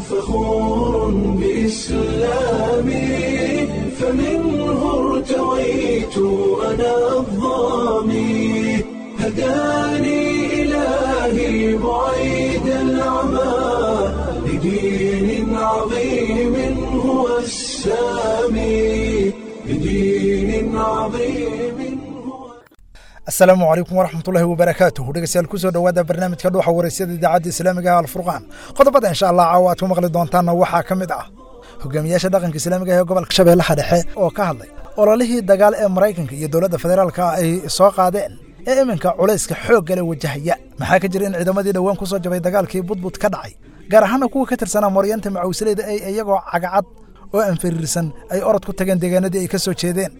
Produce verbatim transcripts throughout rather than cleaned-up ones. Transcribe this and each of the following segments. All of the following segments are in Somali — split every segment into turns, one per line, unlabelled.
فخور بإسلامي، فمنه ارتويت أنا الظامي، هداني إلهي بعيد العمى لدين عظيم هو السامي، لدين عظيم هو
Asalaamu calaykum waraxmatullaahi wabarakaatuh. Dhegeystayaal, kusoo dhowaada barnaamijka Dhuuxa Waraysyada idaacadda islaamiga ah Alfurqaan. Qodobada insha Allah caawa aad ku maqli doontaanna waxaa ka mid ah hogaamiyaasha dhaqanka islaamiga ah ee gobolka Shabeellaha Dhexe oo ka hadlay ololihii dagaal ee Maraykanka iyo dowladda federaalka ay soo qaadeen ee iminka culayska xoogga leh wajahaya. Maxaa ka jira in ciidamadii dhowaan ku soo jabay dagaalkii Budbud ka dhacay, gaar ahaana kuwa ka tirsanaa Moryanta Macawsleyda, ay iyagoo cagacad oo anfariirsan ay orod ku tageen deegaanadii ay ka soo jeedeen?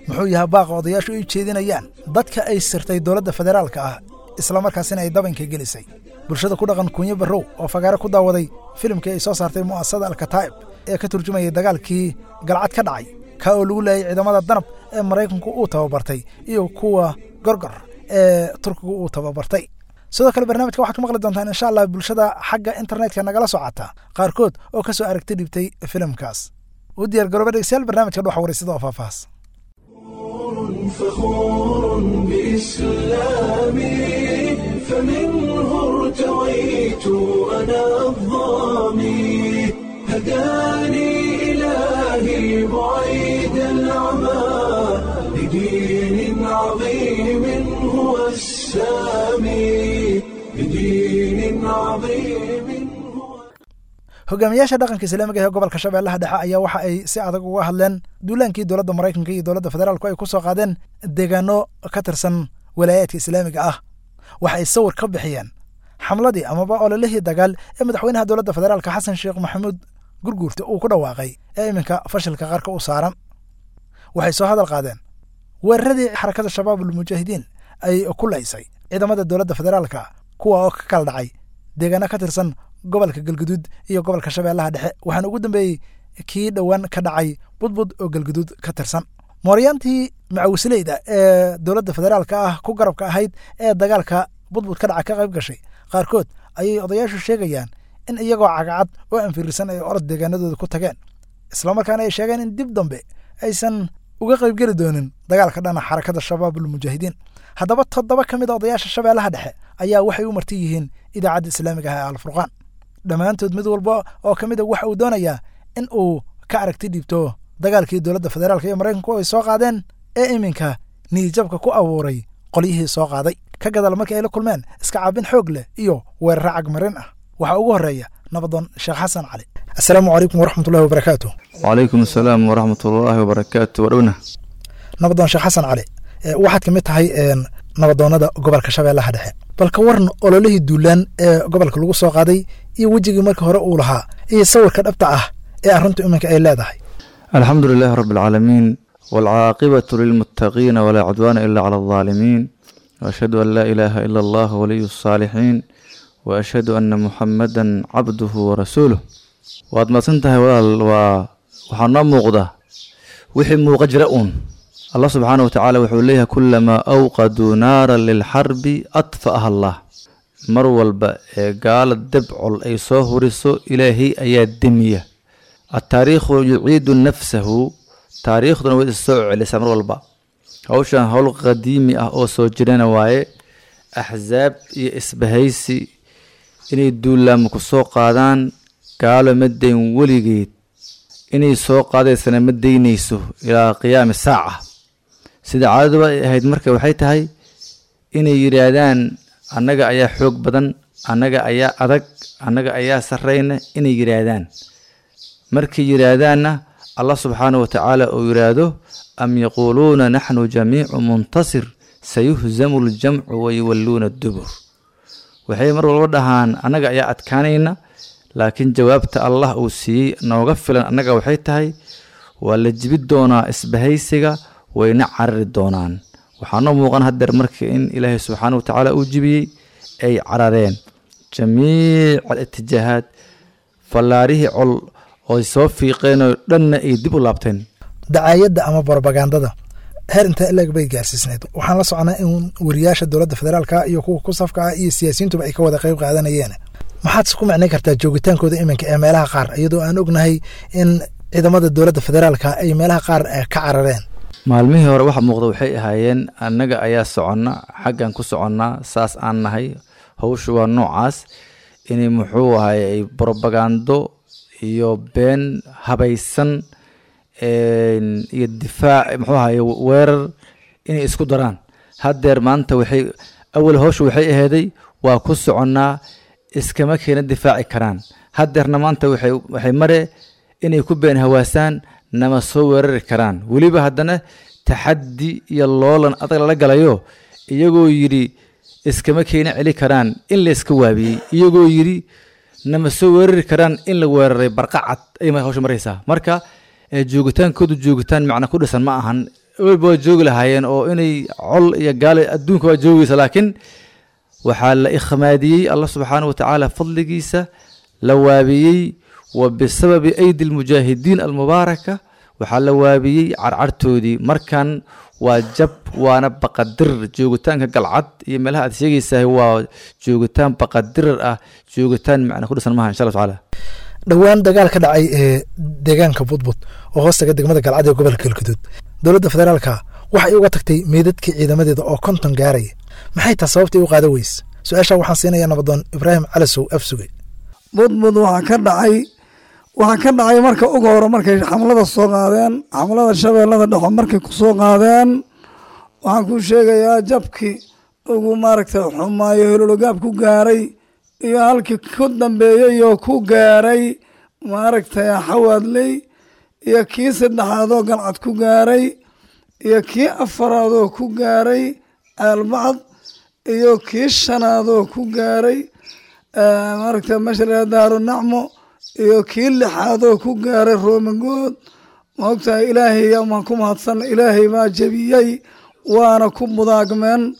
Muxuu yahay baaqa odayaashu ay jeedinayaan dadka ay sirtay dowladda federaalka ah, islamarkaasina ay dabanka gelisay? Bulshada ku dhaqan Kunyo Barrow oo fagaare ku daawaday filimkii ay soo saartay mu'asasada Alkataa'ib ee ka turjumayay dagaalkii Galcad ka dhacay, kaa oo lagu laayay ciidamada Danab ee Maraykanku uu tababartay iyo kuwa Gorgor ee Turkigu uu tababartay. Sidoo kale barnaamijka waxaad ku maqli doontaan insha Allah bulshada xagga internetka nagala socota qaarkood oo ka soo aragti dhibtay filimkaas. U diyaar garooba dhegeystayaal barnaamijka Dhuuxa Wareysada oo faahfaahs.
فخور بإسلامي، فمنه ارتويت أنا الظامي، هداني إلهي بعيد العمى لدين عظيم هو السامي، لدين عظيم هو
Hogaamiyaasha dhaqanka islaamiga ee gobolka Shabeellaha Dhexe ayaa waxa ay si adag uga hadleen duulaankii dowladda Maraykanka iyo dowladda federaalku ay ku soo qaadeen deegaano ka tirsan walaayaadka islaamiga ah. Waxa ay sawir ka bixiyeen xamladii amaba ololihii dagaal ee madaxweynaha dowladda federaalka Xasan Sheekh Maxamuud Gurguurta uu ku dhawaaqay ee iminka fashilka qarka u saaran. Waxay soo hadal qaadeen weeraradii xarakada Shabaabul Mujaahidiin ay ku laysay ciidamada dowladda federaalka, kuwa oo ka kala dhacay deegaano ka tirsan gobolka Galguduud iyo gobolka Shabeellaha Dhexe, waxaana ugu dambeeyey kii dhowaan ka dhacay Budbud oo Galguduud ka tirsan. Mooryaantii macawisleyda ee dowladda federaalka ah ku garabka ahayd ee dagaalka Budbud ka dhaca ka qayb gashay qaarkood ayay odayaashu sheegayaan in iyagoo cagacad oo anfirisan ay orod deegaanadooda ku tageen, islamarkaana ay sheegeen in dib dambe aysan uga qaybgeli doonin dagaalka dhana xarakada Shabaabul Mujaahidiin. Haddaba toddoba ka mid a odayaasha Shabeellaha Dhexe ayaa waxay u marti yihiin idaacadda islaamiga ah ee Alfurqaan. Dhammaantood mid walba oo ka mid a waxa uu doonayaa in uu ka aragti dhiibto dagaalkii dowladda federaalka iyo Maraykanku ay soo qaadeen ee iminka niyijabka ku abuuray qolyihii soo qaaday, ka gadaal markii ay la kulmeen iska caabin xoog leh iyo weeraro cagmarin ah. Waxaa ugu horreeya nabadoon Sheekh Xasan Cali. Assalaamu calaykum waraxmatullahi wabarakaatu.
وعليكم السلام ورحمة الله وبركاته ودونا.
Nabadoon Sheekh Xasan Cali, ee waxaad ka mid tahay een, nabadoonnada gobolka Shabeellaha Dhexe. Bal ka waran ololihii duulaan ee gobolka lagu soo qaaday iyo wejigii marka hore uu lahaa iyo sawirka dhabta ah ee arrintu iminka ay leedahay?
الحمد لله رب العالمين، والعاقبة للمتقين، ولا عدوان إلا على الظالمين، وأشهد أن لا إله إلا الله ولي الصالحين، وأشهد أن محمدا عبده ورسوله. Waad mahadsantahay walaal. Waa waxaa noo muuqda wixii muuqa jira uun. Allah subxaanahu watacaala wuxuu leeyahay: kulamaa awqaduu naaran lilxarbi adfa'aha Allah. Mar walba ee gaala debcol ay soo huriso, Ilaahay ayaa demiya. Attaariikhu yuciidu nafsahu, taariikhduna way is soo celisaa mar walba. Hawshan hawl qadiimi ah oo soo jirana waaye. Axsaab iyo isbahaysi inay duulaamo ku soo qaadaan gaalo ma dayn weligeed, inay soo qaadaysana ma daynayso ilaa qiyaami saaca, sida caadaduba ay ahayd. Marka waxay tahay inay yidhaahdaan annaga ayaa xoog badan, annaga ayaa adag, annaga ayaa sarrayna inay yidhaahdaan. Markay yidhaahdaanna Allah subxaanahu watacaala uu yidhaahdo: am yaquuluuna naxnu jamiicu muntasir, sayuhzamu ljamcu wayuwalluuna dubur. Waxay mar walba dhahaan annaga ayaa adkaanayna, laakiin jawaabta Allah uu siiyey nooga filan annaga waxay tahay: waa la jibi doonaa isbahaysiga, wayna carari doonaan. Waxaa noo muuqan haddeer marka in Ilaahay subxaanahu watacaala uu jibiyey, ay carareen jamiic alitijaahaat, fallaarihii col ooy soo fiiqeen oo dhanna ay dib u laabteen.
Dacaayadda ama borobagandada heer intee leeg bay gaarsiisnayd? Waxaan la soconaa in wariyaasha dowladda federaalka iyo kuwa ku safka ah iyo siyaasiyiintuba ay ka wada qayb qaadanayeen. Maxaad isku macnayn kartaa joogitaankooda iminka ee meelaha qaar, iyadoo aan ognahay in ciidamada dowladda federaalka ay meelaha qaar ka carareen?
Maalmihii hore waxa muuqda waxay ahaayeen annaga ayaa soconna, xaggan ku soconnaa, saas aan nahay, hawshu waa noocaas, inay muxuu ahay ay brobagando iyo been habaysan iyo difaac muxuu ahaye weerar inay isku daraan. Haddeer maanta waxay awal hawshu waxay aheeday waa ku soconnaa, iskama keena difaaci karaan. Haddeerna maanta waxay waxay mare inay ku been hawaasaan nama soo weerari karaan. Weliba haddana taxaddi iyo loolan adag lala galayo, iyagoo yidhi iskama keena celi karaan in la iska waabiyey, iyagoo yidhi nama soo weerari karaan in la weeraray, barqacad ay hawsha maraysaa. Marka joogitaankoodu joogitaan macna ku dhisan ma ahan. Weliba waa joogi lahaayeen oo inay col iyo gaale adduunka waa joogaysa, laakiin waxaa la ikhmaadiyey Allah subxaanahu watacaala fadligiisa la waabiyey, wa bisababi aydi almujaahidiin almubaaraka waxaa la waabiyey carcartoodii. Markan waa jab waana baqadirir. Joogitaanka Galcad iyo meelaha aad sheegaysahay waa joogitaan baqadirir ah, joogitaan macna ku dhisan maaha insha Allah tacaala.
Dhowaan dagaal ka dhacay ee deegaanka Budbud oo hoostaga degmada Galcad ee gobolka Galgaduud, dowladda federaalka waxay uga tagtay meydadkii ciidamadeeda oo konton gaaraya. Maxay taa sababtay u qaada weyse? Su-aasha waxaan siinayaa nabadoon Ibraahim Calasow Afsuge.
Budbud waxaa ka dhacay waxaa ka dhacay marka ugu hore markay xamlada soo qaadeen, xamlada Shabeellada Dhexo markay ku soo qaadeen, waxaan kuu sheegayaa jabkii ugu maaragtay xumaayo hilologaab ku gaaray iyo halkii ku dambeeyey oo ku gaaray maaragtay Xawaadley, iyo kii saddexaadoo Galcad ku gaaray, iyo kii afaraadoo ku gaaray Ceelbacad, iyo kii shanaadoo ku gaaray maaragtay meesha la Daaru Nacmo, iyo kii lixaadoo ku gaaray Roomangood. Ma ogtahay, Ilaahay maan ku mahadsan, Ilaahay baa jebiyey waana ku mudaagmeen,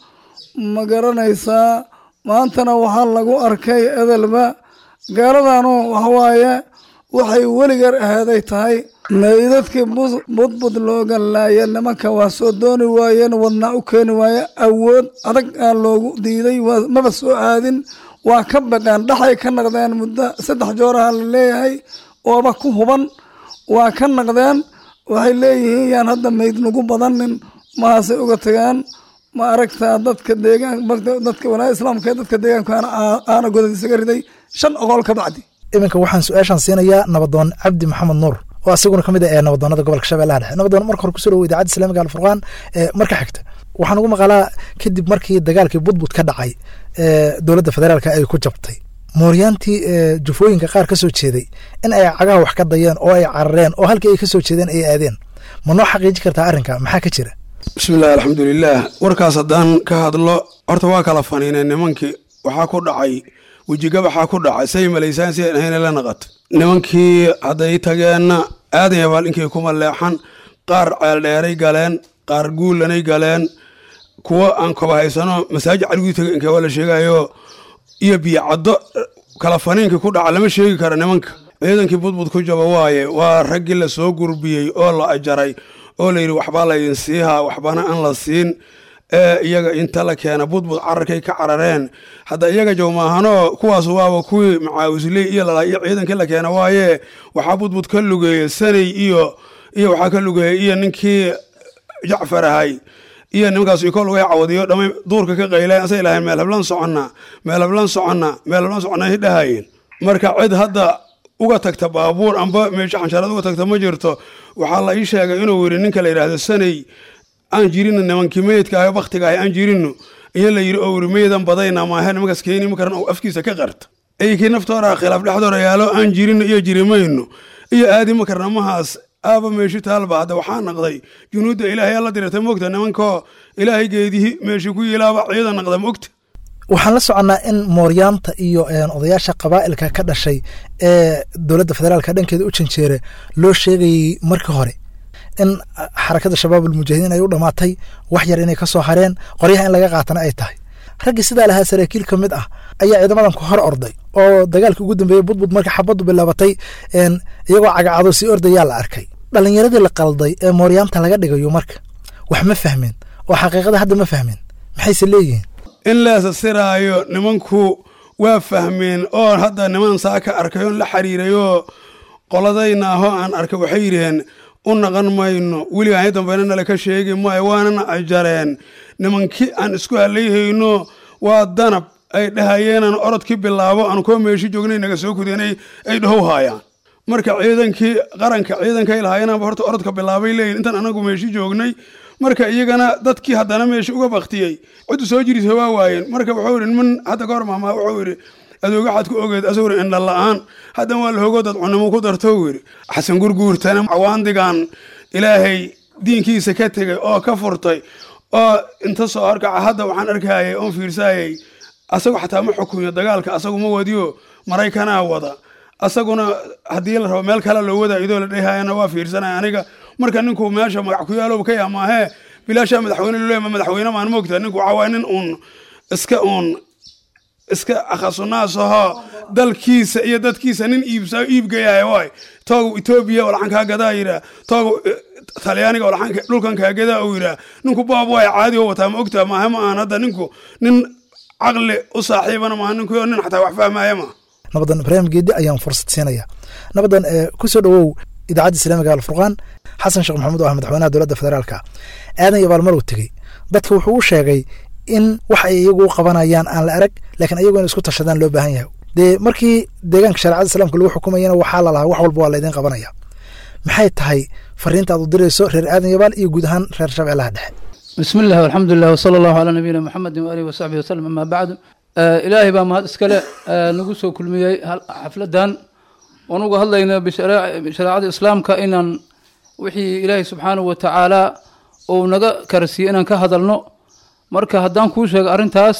ma garanaysaa? Maantana waxaa lagu arkay edelba gaaladanu waxawaaye waxay weligeer aheeday tahay meydadkii Budbud looga laaya. Nimanka waa soo dooni waayeen, wadnaa u keeni waaye, awood adag aa loogu diiday, maba soo aadin, waa ka baqeen, dhaxay ka naqdeen. Muddo saddex jooraha la leeyahay ooba ku huban waa ka naqdeen. Waxay leeyihiin yaan hadda meyd nagu badanin, mahaasay uga tagaan. Ma aragtaa dadka deegaan, dadka walaaya islaamka, dadka deegaankaana aana godad isaga riday shan oqol ka bacdi.
Iminka waxaan su-aashaan siinayaa nabadoon Cabdi Maxamed Nuur oo asiguna ka mid ah ee nabadoonada gobolka Shabeellaha Dhexe. Nabadoon, marka hore kusoo dhawo Idaacadda Islaamiga Alfurqaan. Marka xigta waxaan ugu maqalaa kadib markii dagaalkii Budbud ka dhacay ee dowladda federaalka ay ku jabtay, mooryaantii jufooyinka qaar ka soo jeeday in ay cagaha wax ka dayeen oo ay carareen oo halkii ay ka soo jeedeen ay aadeen. Ma noo xaqiijin kartaa arrinka? Maxaa ka jira?
Bismillahi, alxamdulilaah. Warkaas haddaan ka hadlo, horta waa kala faniineen nimankii. Waxaa ku dhacay wejigabaxaa ku dhacay, say malaysaan si aan ahayna la naqato. Nimankii hadday tageenna Aadan Yabaal inkay kuma leexan, qaar Ceeldheeray galeen, qaar Guulanay galeen, kuwa aan koba haysano Masaajid Caliguu tagay inkay waa la sheegayo iyo Biyo Caddo. Kala faniinkii ku dhaca lama sheegi kara. Nimanka ciidankii Budbud ku jaba waaye waa raggii la soo gurbiyey oo la ajaray oo la yidhi waxbaa laydin siihaa, waxbana aan la siin, ee iyaga inta la keena Budbud cararkay ka carareen. Hadda iyaga jow maahanoo, kuwaas waaba kuwii macaawisley iyo lala iyo ciidankii la keena waaye. Waxaa Budbud ka lugeeyey Sanay iyo iyo waxaa ka lugeeyey iyo ninkii Jacfar ahay iyo nimankaas iko lugay cawadiyo dhamay duurka ka qayleen, asay lahayn meel hablan soconnaa, meel hablan soconnaa, meel hablan soconnaa ay dhahayeen. Marka cid hadda uga tagta baabuur amba meesha xanshaarad uga tagta ma jirto. Waxaa la ii sheegay inuu yidhi ninka la yidhaahdo Sanay, aan jirino nimankii meydka ahay, baktiga ahay aan jirino, iyo la yidhi oo yidhi meydan badayna maahe, nimankaas keeni ma karan oo afkiisa ka qarta. Eykii naftoora khilaaf dhexdoora yaalo, aan jirino iyo jirimayno iyo aadi ma karna mahaas aaba meeshi taalba. Hadda waxaa naqday junuudda Ilaahay alla dirirtay, moogta, nimankoo Ilaahay geedihi meeshi ku yilaaba ciidan naqda, moogta.
Waxaan la soconnaa in mooryaanta iyo odayaasha qabaa'ilka ka dhashay ee dowladda federaalka dhankeeda u janjeera loo sheegayey markii hore in xarakada Shabaab Almujaahidiin ay u dhammaatay, wax yar inay ka soo hareen, qoryaha in laga qaatana ay tahay. Raggii sidaa lahaa saraakiil ka mid ah ayaa ciidamadan ku hor orday oo dagaalkii ugu dambeeyey Budbud marka xabaddu bilaabatay iyagoo cagacado sii ordayaa la arkay. Dhalinyaradii la qalday ee mooryaanta laga dhigayo marka wax ma fahmin oo xaqiiqada hadda ma fahmin, maxayse leeyihiin?
In leesa siraayo nimanku Waa fahmeen oo hadda niman saa ka arkay oon la xiriirayoo qoladayna ahoo aan arkay, waxay yidhaheen u naqan mayno weligaan dambeyna nala ka sheegi maayo, waanana ajareen nimankii aan isku halayhayno. Waa danab ay dhahayeenaan orodkii bilaabo aan koo meeshi joognay naga soo kudeenay ay dhahow haayaan. Marka ciidankii qaranka ciidankay lahaayeenaanba horta orodka bilaabay leeyihin intaan anagu meeshi joognay. Marka iyagana dadkii haddana meeshi uga baktiyey ciddu soo jirisa waa waayeen. Marka wuxuu yidhi niman hadda ka hor mahmaa, wuxuu yidhi adooga waxaad ku ogeed asaguna indha la'aan, haddan waa la hogo dad cunimo ku darto yidhi. Xasan Gurguurtana cawaandigan Ilaahay diinkiisa ka tegey oo ka furtay oo inta soo horkaca hadda waxaan arkayay oon fiirsayay, asagu xataa ma xukumiyo dagaalka, asagu ma wadiyo, Maraykanaa wada, asaguna haddii la rabo meel kale loo wadaa idoo la dhehayana waa fiirsanaya aniga. Marka ninku meesha magac ku yaalow ka yaamaahee bilaashaa madaxweyne loo leeyahay, madaxweyne maan moogtaa. Ninku waxaa waaya nin uun iska uun iska akhasunaas ahoo dalkiisa iyo dadkiisa nin iibsa iibgayahay waay. Toogu Etoobiya oo laxan kaa gadaa yidhaa, toogu Talyaaniga oo laxan dhulkan kaa gadaa uu yidhaa. Ninku baab waay caadi oo wataa ma ogtaa, maaha ma ahan hadda ninku nin caqli u saaxiibana maaha, ninku nin xataa wax fahmaya maaha.
Nabadan Ibraahim Geedi ayaan fursad siinaya. Nabadan, ku soo dhowow Idaacadda Islaamiga Alfurqaan. Xasan Sheekh Maxamuud oo ah madaxweynaha dowladda federaalka Aadan Yabaal maruu tegey dadka wuxuu u sheegay in wax ay iyagu qabanayaan aan la arag, laakiin ayagu in isku tashadaan loo baahan yahay. Dee markii deegaanka shareecada islaamka lagu xukumayana waxaa la lahaa wax walba waa laydin qabanaya. Maxay tahay fariinta aad u dirayso reer Aadan Yabaal iyo guud ahaan reer Shabeellaha Dhexe?
بسم الله والحمد لله وصلى الله على نبينا محمد وآله وصحبه وسلم، أما بعد، آه إلهي baa mahad iskale آه nagu soo kulmiyey xafladan oon uga hadlayna bishareecada islaamka, inaan wixii Ilaahay subxaanahu wa tacaala uu naga karsiiyey inaan ka hadalno. Marka haddaan kuu sheego arrintaas,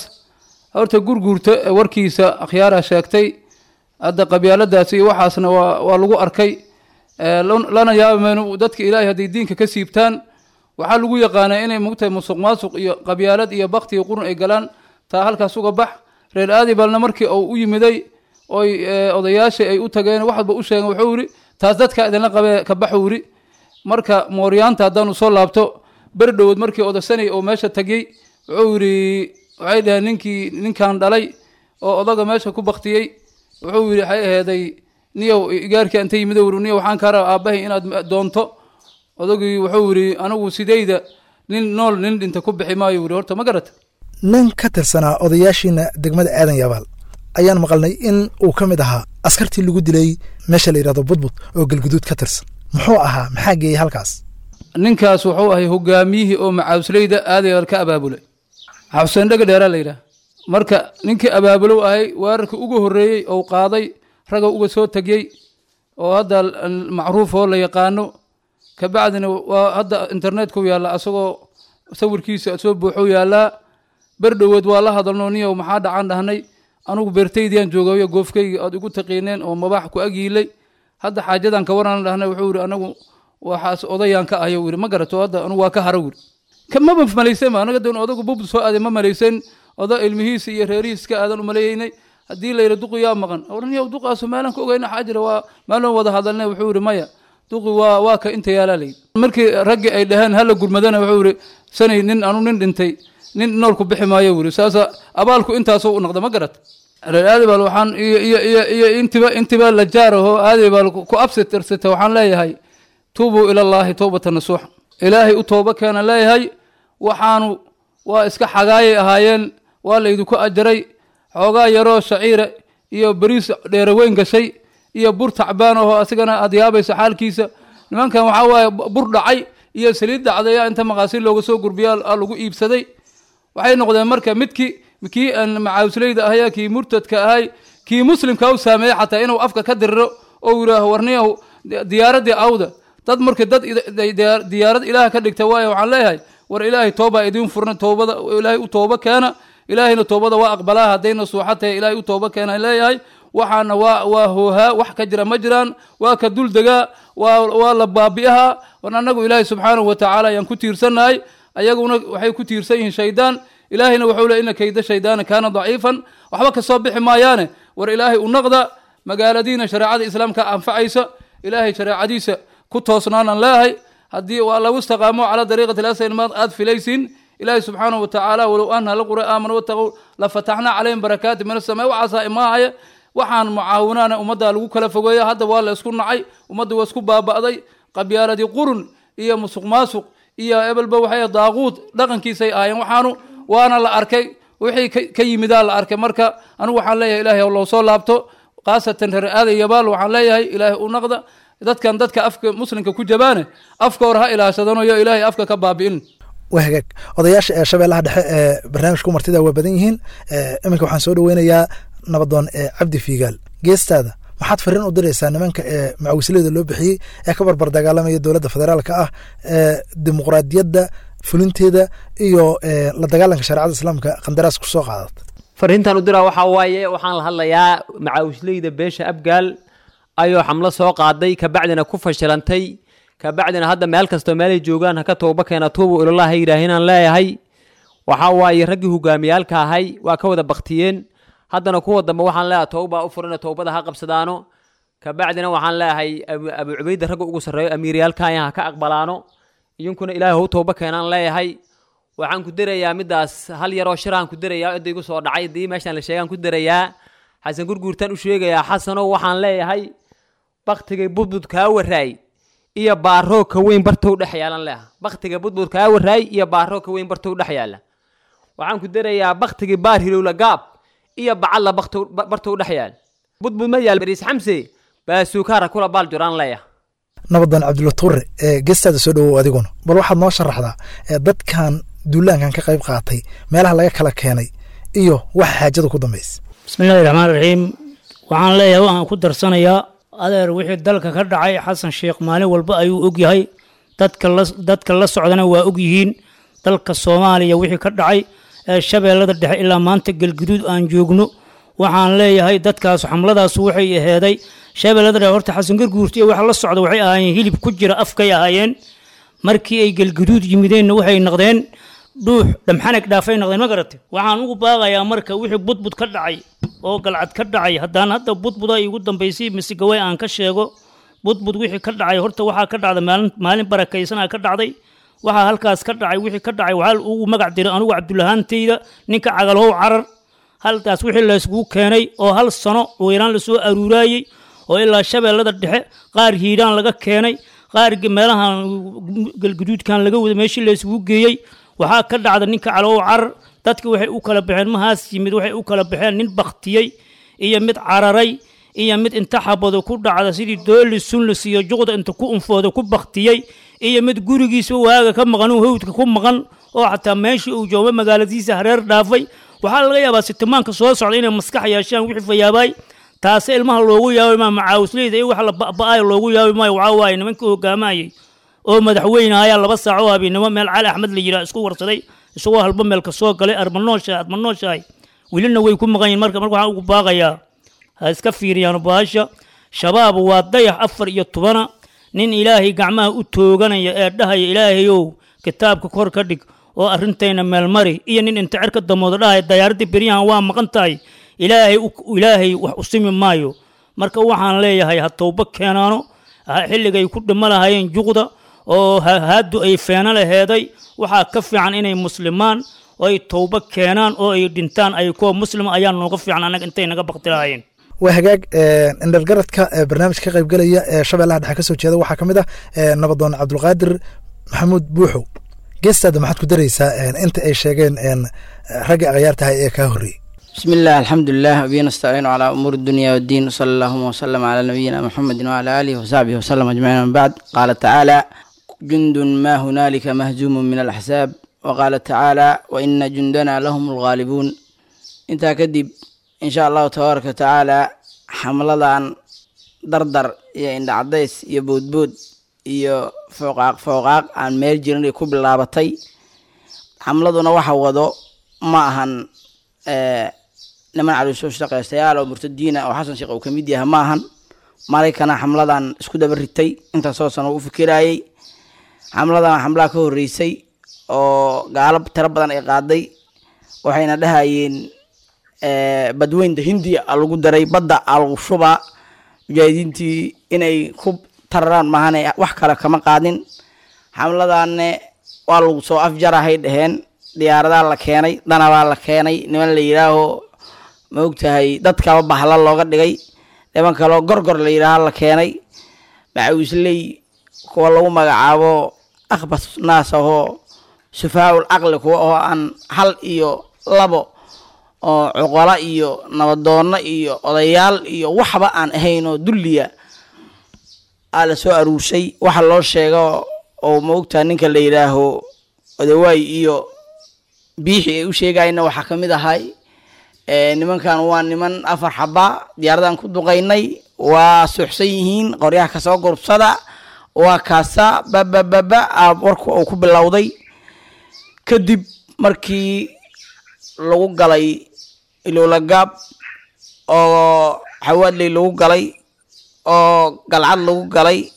horta Gurguurta warkiisa akhyaaraa sheegtay hadda, qabyaaladaas iyo waxaasna waa waa lagu arkay, lana yaabi mayno. Dadka Ilaahay hadday diinka ka siibtaan waxaa lagu yaqaanaa inay mugtahay musuq maasuq iyo qabyaalad iyo bakti iyo qurun ay galaan. Taa halkaas uga bax. Reer Aadibalna markii uu u yimiday oy odayaashii ay u tageen waxba u sheegeen, wuxuu yidhi taas dadka idinla qabee ka baxuu yidhi. Marka mooryaanta haddaanu soo laabto, beri dhowood markii odasanay oo meesha tagay wuxuu yidhi, waxay dhaheen ninkii ninkan dhalay oo odaga meesha ku baktiyey, wuxuu yidhi waxay aheeday niyow igaarkii inta yimid wuri niyow waxaan kaa rabaa aabbahay inaad doonto. Odagii wuxuu yidhi anigu sidayda nin nool nin dhinta ku bixi maayo yidhi. Horta ma garata.
Nin ka tirsanaa odayaashiina degmada Aadan Yabaal ayaan maqalnay in uu ka mid ahaa askartii lagu dilay meesha la yidhahdo Budbud oo Galguduud ka tirsan. Muxuu ahaa? Maxaa geeyey halkaas?
Ninkaas wuxuu ahay hogaamiyihii oo macaawsleyda Aadan Yabaal ka abaabulay, Xuseen Dhega Dheeraa la yidhaha. Marka ninkii abaabulow ahay weerarkii ugu horreeyey ou qaaday raga uga soo tegiyey oo hadda macruuf oo la yaqaano. Kabacdina waa hadda internetku yaalla, asagoo sawirkiisa soo buuxuu yaallaa. Berdhowood waa la hadalno, niyow maxaa dhacan dhahnay, anugu beertaydiyaan joogayo goofkayga aad igu taqiineen oo mabaax ku agyiilay, hadda xaajadan ka waran dhahnay. Wuxuu yidhi anagu waxaas odayaan ka ahayo yidhi, ma garato, hadda anugu waa ka haro yidhi. Maba malaysan ba anaga doon odagu bub soo aaday, ma malaysan oda ilmihiisa iyo reerihiis ka aadan u maleeyeynay. Haddii la yidhi duqi yaa maqan oran yow duqaasu meelaan ka ogeyna xaa jira, waa meelaan wada hadalnay. Wuxuu yidhi maya, duqi waa waa ka inta yaalaa layidhi. Markii raggii ay dhaheen hala gurmadana, wuxuu yidhi sanay nin anu nin dhintay nin nool ku bixi maayo yidhi. Saasa abaalku intaasoo u noqda, ma garat. Reer Aadibaal waxaan iyo iyo iyo iyo intiba intiba la jaaraho Aadibaal ku absitirsata waxaan leeyahay tuubuu ilallaahi towbata nasuuxa, Ilaahay u tooba keena leeyahay. Waxaanu waa iska xagaayay ahaayeen, waa laydinku ajaray xoogaa yaroo shaciira iyo bariis dheeraweyn gashay iyo bur tacbaan ahoo asigana aad yaabayso xaalkiisa. Nimankan waxaa waaye bur dhacay iyo saliid dhacday inta maqaasiin looga soo gurbiyaa lagu iibsaday. Waxay noqdeen marka midkii kii aan macaawsleyda ahay, kii murtadka ahay, kii muslimka u saameeyey xataa inuu afka ka diriro oo yidhaaho warniyahu diyaaraddii awda dad. Marka dad diyaarad Ilaah ka dhigta waayo, waxaan leeyahay war Ilaahay toobaa idiin furna, toobada Ilaahay u tooba keena, Ilaahayna toobada waa aqbalaa haddayna suuxa tahay. Ilaahay u tooba keena leeyahay. Waxaana waa waa hoohaa, wax ka jira ma jiraan, waa ka dul degaa, waa waa la baabi'ahaa. War annagu Ilaahay subxaanahu wa tacaala ayaan ku tiirsannahay, ayaguna waxay ku tiirsan yihiin shaydaan. Ilaahayna wuxuu le ina kayda shaydaana kaana daciifan, waxba kasoo bixi maayaane. War Ilaahay u naqda, magaaladiina shareecada islaamka anfacaysa, Ilaahay shareecadiisa ku toosnaanaan leeyahay. Haddii waa lagu istaqaamo calaa dariiqati lasal maad aad filaysiin, Ilaahay subxaanahu watacaala walow anna alqura aamanu wataqow la fataxnaa calayhim barakaati min asamaa. Waxaasaa imaahaya waxaan mucaawinaana ummaddaa lagu kala fogeeya. Hadda waa la isku nacay, ummadda waa isku baaba'day, qabyaaladii qurun iyo musuq maasuq iyo ebelba waxay daaquud dhaqankiisay ahaayeen. Waxaanu waana la arkay wixii ka yimidaa la arkay. Marka anigu waxaan leeyahay ilaahay loo soo laabto, khaasatan reer aaday yabaal waxaan leeyahay ilaahay u naqda. Dadkan dadka afka muslimka ku jabaane afka hore ha ilaashadanayo, ilaahay afka ka baabi'in.
Waa hagaag. Odayaasha ee Shabeellaha Dhexe ee barnaamijku martida waa badan yihiin. Iminka waxaan soo dhaweynayaa nabadoon ee Cabdi Fiigaal. Geestaada maxaad fariin u diraysaa nimanka ee macawisleyda loo bixiyey ee ka barbar dagaalamaya dowladda federaalka ah ee dimuqraadiyadda fulinteeda iyo la dagaalanka shareecada islaamka qandaraas ku soo qaadata?
Fariintan u diraa waxaa waaye, waxaan la hadlayaa macawisleyda beesha Abgaal ayoo xamlo soo qaaday, kabacdina ku fashilantay, kabacdina hadda meel kastoo meelay joogaan haka tooba keena, tuubu ilallah ha yidhaahinaan leeyahay. Waxaa waaye raggii hogaamiyaalka ahay waa ka wada baktiyeen, haddana kuwa dambe waxaan leeyahay towbaa u furina, towbada ha qabsadaano. Kabacdina waxaan leeyahay Abu Cubayda ragga ugu sarreeyo amiiryaalkaya ha ka aqbalaano, idinkuna ilaahay hau tooba keenaan leeyahay. Waxaan ku darayaa midaas hal yaroo shiraan ku darayaa cidda igu soo dhacay dii meeshaan la sheegaan ku darayaa. Xasan Gurguurtaan u sheegayaa, Xasanow waxaan leeyahay baktigay budbud kaa waraay iyo baaroo ka weyn bartow dhex yaalan leeha, baktiga budbud kaa waraay iyo baaroo ka weyn bartow dhex yaala. Waxaan ku darayaa baktigii baar hilowla gaab iyo bacalla baktow bartow dhex yaal, budbud ma yaal bariis xamse baasuukaara kula baal juraan leeyaha.
Nabadoon Cabdulla Tuure, ee geestaada soo dhawow adiguna, bal waxaad noo sharaxdaa dadkan duulaankan ka qayb qaatay meelaha laga kala keenay iyo waxa xaajada ku dambaysa.
Bismillahi raxmaan raxiim. Waxaan leeyahay, waxaan ku darsanayaa adeer, wixii dalka ka dhacay Xasan Sheekh maalin walba ayuu ogyahay, dadka la dadka la socdana waa ogyihiin. Dalka Soomaaliya wixii ka dhacay ee Shabeellada Dhexe ilaa maanta Galguduud aan joogno, waxaan leeyahay dadkaas xamladaas waxay aheeday Shabeellada Dhexe. Horta Xasan Garguurti iyo waxa la socda waxay ahaayeen hilib ku jira afkay ahaayeen, markii ay Galguduud yimideenna waxay noqdeen dhuux dhamxanag dhaafay noqdeen. Ma garatay? Waxaan ugu baaqayaa marka wixii budbud ka dhacay oo Galcad ka dhacay, haddaan hadda budbuda igu dambaysay misigaway aan ka sheego budbud wixii ka dhacay. Horta waxaa ka dhacday maalin maalin barakaysanaa ka dhacday. Waxaa halkaas ka dhacay wixii ka dhacay waxaa ugu magac diray anigu Cabdulahaantayda ninka cagalow carar. Halkaas wixii layskugu keenay oo hal sano weyraan lasoo aruuraayey oo ilaa Shabeellada Dhexe qaar Hiiraan laga keenay, qaar meelahan Galguduudkan laga wada meeshii laysugu geeyey, waxaa ka dhacda ninka calow carar. Dadki waxay u kala baxeen mahaas yimid, waxay u kala baxeen nin baktiyey iyo mid cararay iyo mid inta xabado ku dhacda sidii dooli sunlis iyo juqda inta ku unfooda ku baktiyey iyo mid gurigiisa waaga ka maqan uu hawdka ku maqan oo xataa meeshii uu joogo magaaladiisa hareer dhaafay. Waxaa laga yaabaa sitimaanka soo socda inay maskax yeeshaan wixii fayaabaay, taase ilmaha loogu yaabi maayo, macaawisleyda iyo waxa la ba'ba'ayo loogu yaabi maayo. Waxaa waaye nimankii hogaamayay oo madaxweyne ayaa laba saac oo habeenimo meel Cali Axmed la yidhaah isku warsaday, isagoo halba meel ka soo galay, arma nooshahay adma nooshahay, welina way ku maqan yihin. Marka marka waxaan ugu baaqayaa ha iska fiiriyaan baasha Shabaab. Waa dayax afar iyo tobana nin ilaahay gacmaha u tooganaya ee dhahaya ilaahayow kitaabka kor ka dhig oo arrintayna meelmari, iyo nin inta cerka damooda dhahaya dayaaradii beryahan waa maqan tahay, ilaahay ilaahay wax u simi maayo. Marka waxaan leeyahay ha towbo keenaano xilligay ku dhimo lahaayeen juqda oo haadu ay feeno laheeday. Waxaa ka fiican inay muslimaan oo ay towbo keenaan oo ay dhintaan ay kuwa muslima ayaa nooga fiican annaga intay naga bakti lahaayeen.
Waa hagaag. Indhargaradka barnaamijka ka qaybgelaya ee Shabeellaha Dhexe ka soo jeeda waxaa ka mid ah nabadoon Cabdulqaadir Maxamuud Buuxow. Geestaada maxaad ku daraysaa inta ay sheegeen ragga akhyaar tahay ee kaa horreeyey?
بسم الله، الحمد لله، وبه نستعين على أمور الدنيا والدين، وصلى اللهم وسلم على نبينا محمد وعلى آله وصحبه وسلم أجمعين، من بعد. قال تعالى: جند ما هنالك مهزوم من الأحزاب. وقال تعالى: وإن جندنا لهم الغالبون. انت كدب إن شاء الله تبارك وتعالى حملة دردر يا إن عديس يا بود بود يا فوقاق فوقاق عن ميل جيران كوب لابتي xamladuna waxa wado ma ahan niman caloosoo shaqaystayaal oo murtadiina oo Xasan Sheekh uu ka mid yahay ma ahan. Maraykana xamladan isku daba ritay intaasoo sano u fikirayay. Xamladan xamlaa ka horreysay oo gaalo tiro badan ay qaaday, waxayna dhahayeen badweynta Hindiya a lagu daray, badda a lagu shubaa, mujaahidiintii inay ku tararaan maahane wax kale kama qaadin. Xamladanne waa lagu soo afjarahay dhaheen, Diyaaradaha la keenay, danabaa la keenay, niman la yidhaaho ma ogtahay dadkaba bahla looga dhigay, niman kaloo gorgor la yidhaaho la keenay, macawisley kuwa lagu magacaabo akhbas naas ahoo sufaa'ul caqli, kuwa oo aan hal iyo labo oo cuqala iyo nabadoonno iyo odayaal iyo waxba aan ahayn oo dulliya aa la soo aruurshay. Waxa loo sheego oo ma ogtahay ninka la yidhaaho odawaay iyo Biixi ay u sheegayna waxaa ka mid ahay, nimankan waa niman afar xaba diyaaradan ku duqaynay, waa suuxsan yihiin, qoryaha kasoo gurbsada, waa kaasa babababa warku uu ku bilowday. Kadib markii lagu galay Ilowlagaab oo Xawaadley lagu galay oo Galcad lagu galay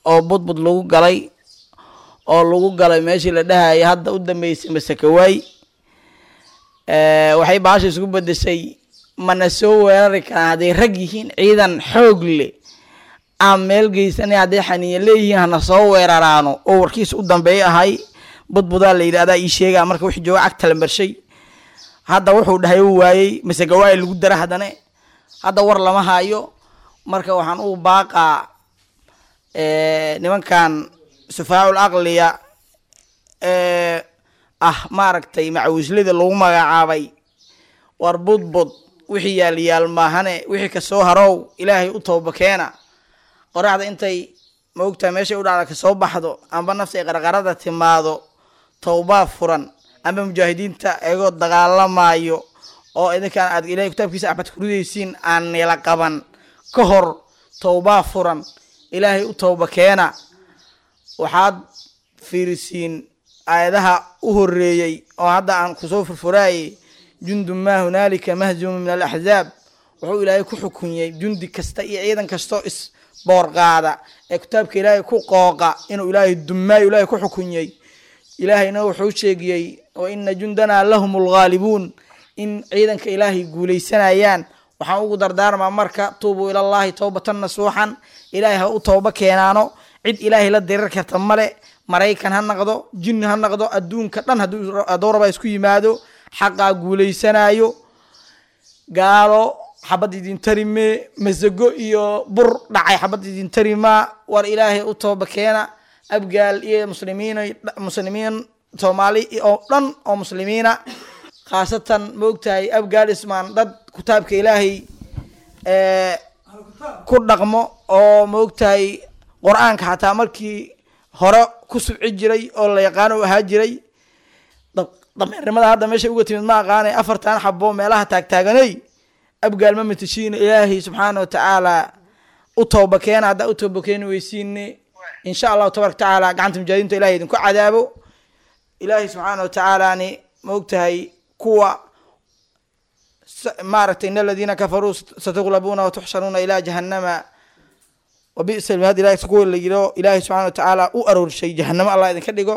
oo Budbud lagu galay oo lagu galay meeshii la dhahayay hadda u dambeysay Masakawaay, waxay baasha isku bedeshay mana soo weerari karaan hadday rag yihiin, ciidan xoog leh aan meel geysanay, hadday xaniya leeyihiin hana soo weeraraano oo warkiisa u dambeeya ahay. Budbudaa la yidhahdaa ii sheegaa marka wixii jooga cagta la marshay. Hadda wuxuu dhahay uu waayey, Masagawaay lagu dara, haddane hadda war lama hayo. Marka waxaan u baaqaa nimankan sufaacul aqliya ee ah maaragtay macawislada lagu magacaabay, war Budbud wixii yaal yaal maahane wixii kasoo harow Ilaahay u tooba keena. Qoraxda intay ma ogtahay meeshay u dhacda kasoo baxdo amba nafta ay qarqarada timaado, towbaa furan, amba mujaahidiinta iyagoo dagaalamayo oo idinkaan aad Ilahay kitaabkiisa axmed ku ridaysiin aan nila qaban ka hor, towbaa furan, Ilaahay u tooba keena. Waxaad fiirisiin aayadaha u horeeyey oo hadda aan kusoo furfuraayey, jundu maa hunaalika mahzuumu min alaxzaab. Wuxuu Ilaahay ku xukunyey jundi kasta iyo ciidan kastoo is boorqaada ee kitaabka Ilaahay ku qooqa inuu Ilaahay dumaayo Ilaahay ku xukunyey. Ilaahayna wuxuu sheegiyey wa ina jundanaa lahum alghaalibuun, in ciidanka Ilaahay guulaysanayaan. Waxaan ugu dardaarmaa marka tuubuu ilallaahi towbatan nasuuxan, Ilaahay ha u tooba keenaano. Cid Ilaahay la dirir karta male, Maraykan ha noqdo, jinni ha noqdo, adduunka dhan hadduu rabaa isku yimaado, xaqaa guulaysanaayo. Gaalo xabad idin tarime, masago iyo bur dhacay xabad idin tarimaa. War Ilaahay u tooba keena. Abgaal iyo muslimiin, muslimiin Soomaali oo dhan oo muslimiina, khaasatan ma ogtahay Abgaal Ismaan, dad kitaabka Ilaahay ku dhaqmo oo ma ogtahay Qur-aanka xataa markii hore ku subci jiray oo la yaqaano u ahaa jiray. Dameernimada hadda meeshay uga timid ma aqaanay. Afartan xabo meelaha taagtaaganay Abgaal ma matashiina. Ilaahay subxaana watacaala u tooba keena. Haddaa u tooba keeni weysiine, insha Allahu tabaraka tacaala gacanta mujaahidiinta Ilahay idinku cadaabo. Ilaahay subxaana watacaalaani ma ogtahay kuwa maaragtay in aladiina kafaruu satuglabuuna watuxsharuuna ilaa jahannama wabi'sa almihaad. Ilahay kuwa la yiro Ilaahay subxaana watacaala u aroorshay jahanamo Allah idinka dhigo.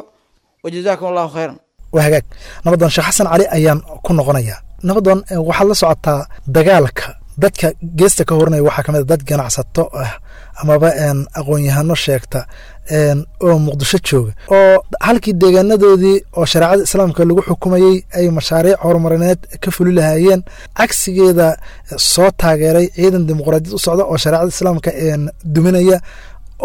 Wajazaakum Allahu khayran.
Waa hagaag. Nabadoon Sheekh Xasan Cali ayaan ku noqonayaa. Nabadoon, waxaad la socotaa dagaalka dadka geesta ka horinaya waxaa kamid a dad ganacsato ah amaba aqoon-yahano sheegta oo Muqdisho jooga oo halkii deegaanadoodii oo shareecada islaamka lagu xukumayey ay mashaariic horumarineed ka fuli lahaayeen, cagsigeeda soo taageeray ciidan dimuqraadiyad u socda oo shareecada islaamka duminaya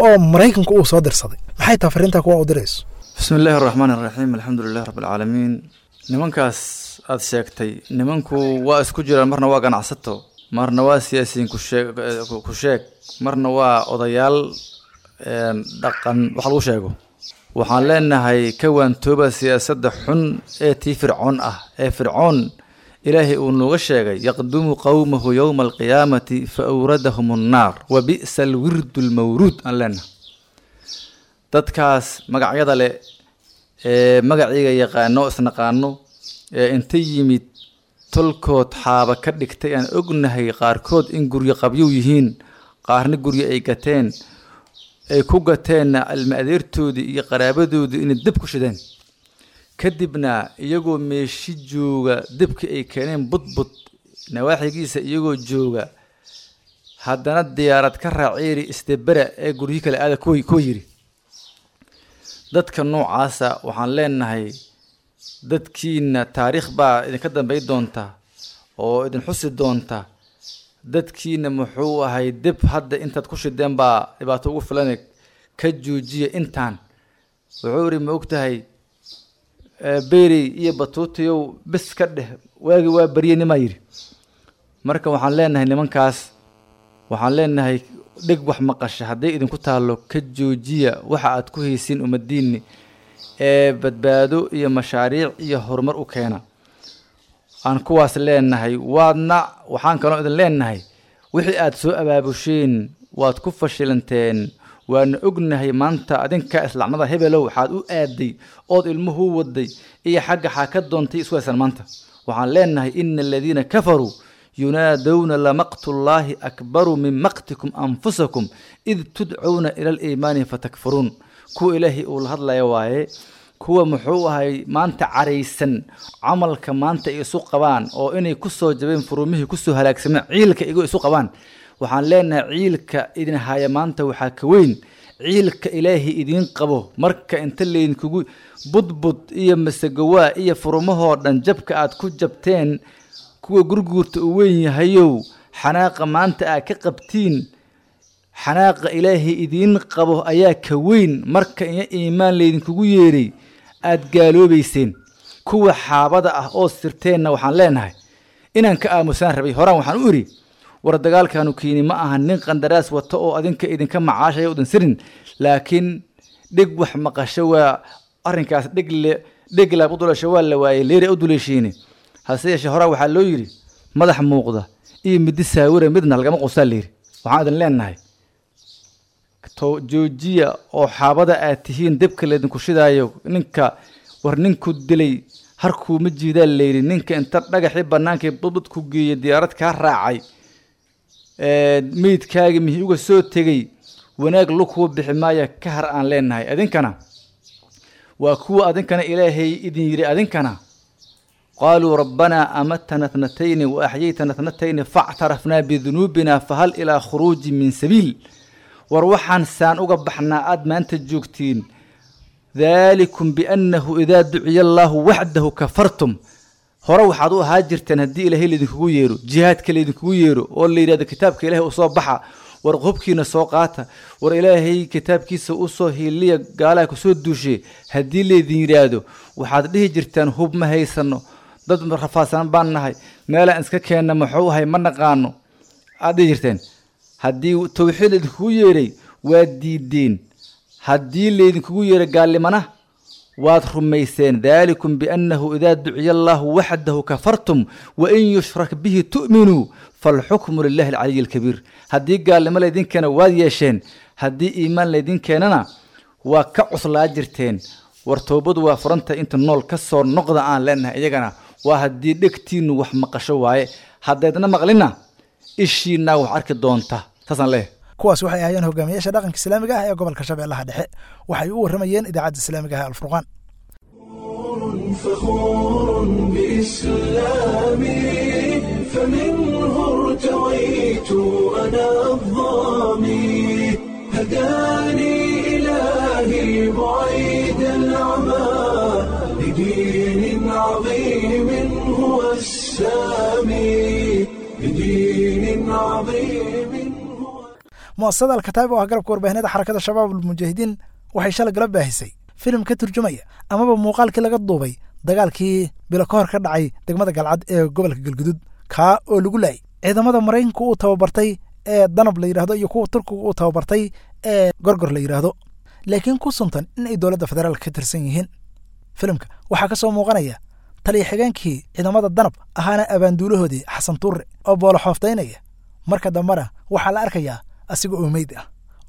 oo Maraykanku uu soo dirsaday. Maxay tahay fariintaa kuwa u dirayso?
Bismi illaahi araxmaan araxiim, alxamdu lilah rabbi alcaalamiin. Nimankaas aada sheegtay, nimanku waa isku jiraan, marna waa ganacsato, marna waa siyaasiyiin kusheeg ku sheeg, marna waa odayaal dhaqan wax lagu sheego. Waxaan leenahay ka waantooba siyaasadda xun ee tii Fircoon ah, ee Fircoon Ilaahay uu nooga sheegay yaqdumu qowmahu yowma alqiyaamati fa awradahum annaar wa bi'sa alwirdu almawruud. Aan leenahay dadkaas magacyada leh ee magaciiga yaqaano isnaqaano ee inta yimid tolkood xaaba ka dhigtay, aan ognahay qaarkood in guryo qabyow yihiin, qaarna guryo ay gateen, ay ku gateenna ilma adeertoodii iyo qaraabadoodii inay dib ku shideen, kadibna iyagoo meeshi jooga dibkii ay keeneen Budbud nawaaxigiisa iyagoo jooga haddana diyaarad ka raaciiri isdebera ee guryo kale aada kuwa kuwa yiri. Dadka noocaasa waxaan leenahay Dadkiina taariikh baa idinka dambay doonta oo idin xusi doonta. Dadkiina muxuu ahay dib hadda intaad ku shideen baa dhibaato ugu filan, ka joojiya intaan. Wuxuu yidhi ma ogtahay beerey iyo batuutiyow bis ka dheh, waagi waa barye nimaa yidhi. Marka waxaan leenahay nimankaas, waxaan leenahay dhig wax maqasha hadday idinku taallo ka joojiya waxa aad ku haysiin ummadiinni ee badbaado iyo mashaariic iyo horumar u keena. Aan kuwaas leenahay. Waadna waxaan kaloo idin leenahay wixii aad soo abaabusheen waad ku fashilanteen, waana ognahay maanta adinka islaamada hebelow waxaad u aaday ood ilmuhu waday iyo xagga xaa ka doontay isku haysan maanta. Waxaan leenahay ina aladiina kafaruu yunaadowna lamaqtullaahi akbaru min maqtikum anfusakum id tudcuuna ila aliimaani fatakfuruun. Kuwa ilaahay uu la hadlaya waaye, kuwa muxuu ahay maanta caraysan camalka maanta ay isu qabaan oo inay ku soo jabeen furumihii kusoo halaagsameen ciilka igo isu qabaan. Waxaan leenahay ciilka idin haya maanta waxaa ka weyn ciilka ilaahay idiin qabo. Marka inta laydinkugu budbud iyo masagowaa iyo furumahoo dhan jabka aad ku jabteen, kuwa gurguurta uu weyn yahayow xanaaqa maanta aad ka qabtiin, xanaaqa ilaahay idiin qabo ayaa ka weyn marka iyo iimaan laydinkugu yeeray aad gaaloobayseen. Kuwa xaabada ah oo sirteenna waxaan leenahay inaan ka aamusaan rabay horaan. Waxaan u idhi war dagaalkaanu keeni ma aha nin qandaraas wato oo adinka idinka macaashaya udan sirin, laakiin dhig wax maqasho waa arrinkaas dhigle dhig laab u dulasho waa la waayey leeri u duleeshiine. Hase yeeshee horaa waxaa loo yidhi madax muuqda iyo midi saawira midna lagama qusaa layidhi. Waxaan idin leenahay to joojiya oo xaabada aad tihiin dibka laydinku shidaayo. Ninka war ninku dilay harkuu ma jiidaa layidhi. Ninka inta dhagaxii bannaankii budbud ku geeyey diyaarad kaa raacay meydkaagi mihi uga soo tegey wanaag lukuu bixi maaya ka har aan leenahay. Adinkana waa kuwa adinkana ilaahay idin yidhi adinkana qaaluu rabbanaa amatana thnatayni wa axyaytana thnatayni factarafnaa bidunuubina fahal ilaa khuruuji min sabiil. War waxaan saan uga baxnaa aad maanta joogtiin. Daalikum biannahu idaa duciya allaahu waxdahu kafartum. Hore waxaad u ahaa jirteen haddii ilaahay laydinkugu yeero, jihaadka laydinkugu yeero oo la yidhahdo kitaabka ilaahay usoo baxa, war hubkiina soo qaata, war ilaahay kitaabkiisa usoo hiiliya gaalaha kusoo duushe, haddii laydin yidhaahdo waxaad dhihi jirteen hub ma haysano, dad rafaadsan baan nahay, meelaan iska keenna muxuu ahay ma naqaano aad dhihi jirteen. Haddii tawxiid laydinkugu yeeray waad diideen, haddii laydinkugu yeeray gaallimana waad rumayseen. Daalikum biannahu idaa duciya allaahu waxdahu kafartum wain yushrak bihi tu'minuu falxukmu lilahi alcaliyi alkabiir. Haddii gaalnimo laydin keena waad yeesheen, haddii iimaan laydin keenana waa ka cuslaa jirteen. War toobadu waa furanta inta nool ka soo noqda aan leenahay iyagana waa haddii dhegtiinnu wax maqasho waaye, haddaydna maqlina ishiinaa wax arki doonta. Saasaan leeyahay.
Kuwaas waxay ahaayeen hogaamiyaasha dhaqanka islaamiga ah ee gobolka Shabeellaha Dhexe. Waxay u warramayeen idaacadda islaamiga ah ee Alfurqaan.
فخور بإسلامي فمنه ارتويت أنا الظامي هداني إلهي بعيد العمى لدين عظيم هو السامي لدين عظيم.
Mu'asasada Alkataib oo ah garabka warbaahineeda xarakada Shabaab almujaahidiin waxay shalay gala baahisay filim ka turjumaya amaba muuqaalkii laga duubay dagaalkii bilo ka hor ka dhacay degmada Galcad ee gobolka Galgudud, kaa oo lagu laayay ciidamada Maraykanku uu tababartay ee Danab la yidhaahdo iyo kuwa Turkigu uu tababartay ee Gorgor la yidhaahdo, laakiin ku suntan in ay dowladda federaalka ka tirsan yihiin. Filimka waxaa ka soo muuqanaya taliya xigeenkii ciidamada Danab ahaana abaanduulahoodii Xasan Tuure oo boolo xooftaynaya. Marka dambena waxaa la arkayaa asiga oo meyd ah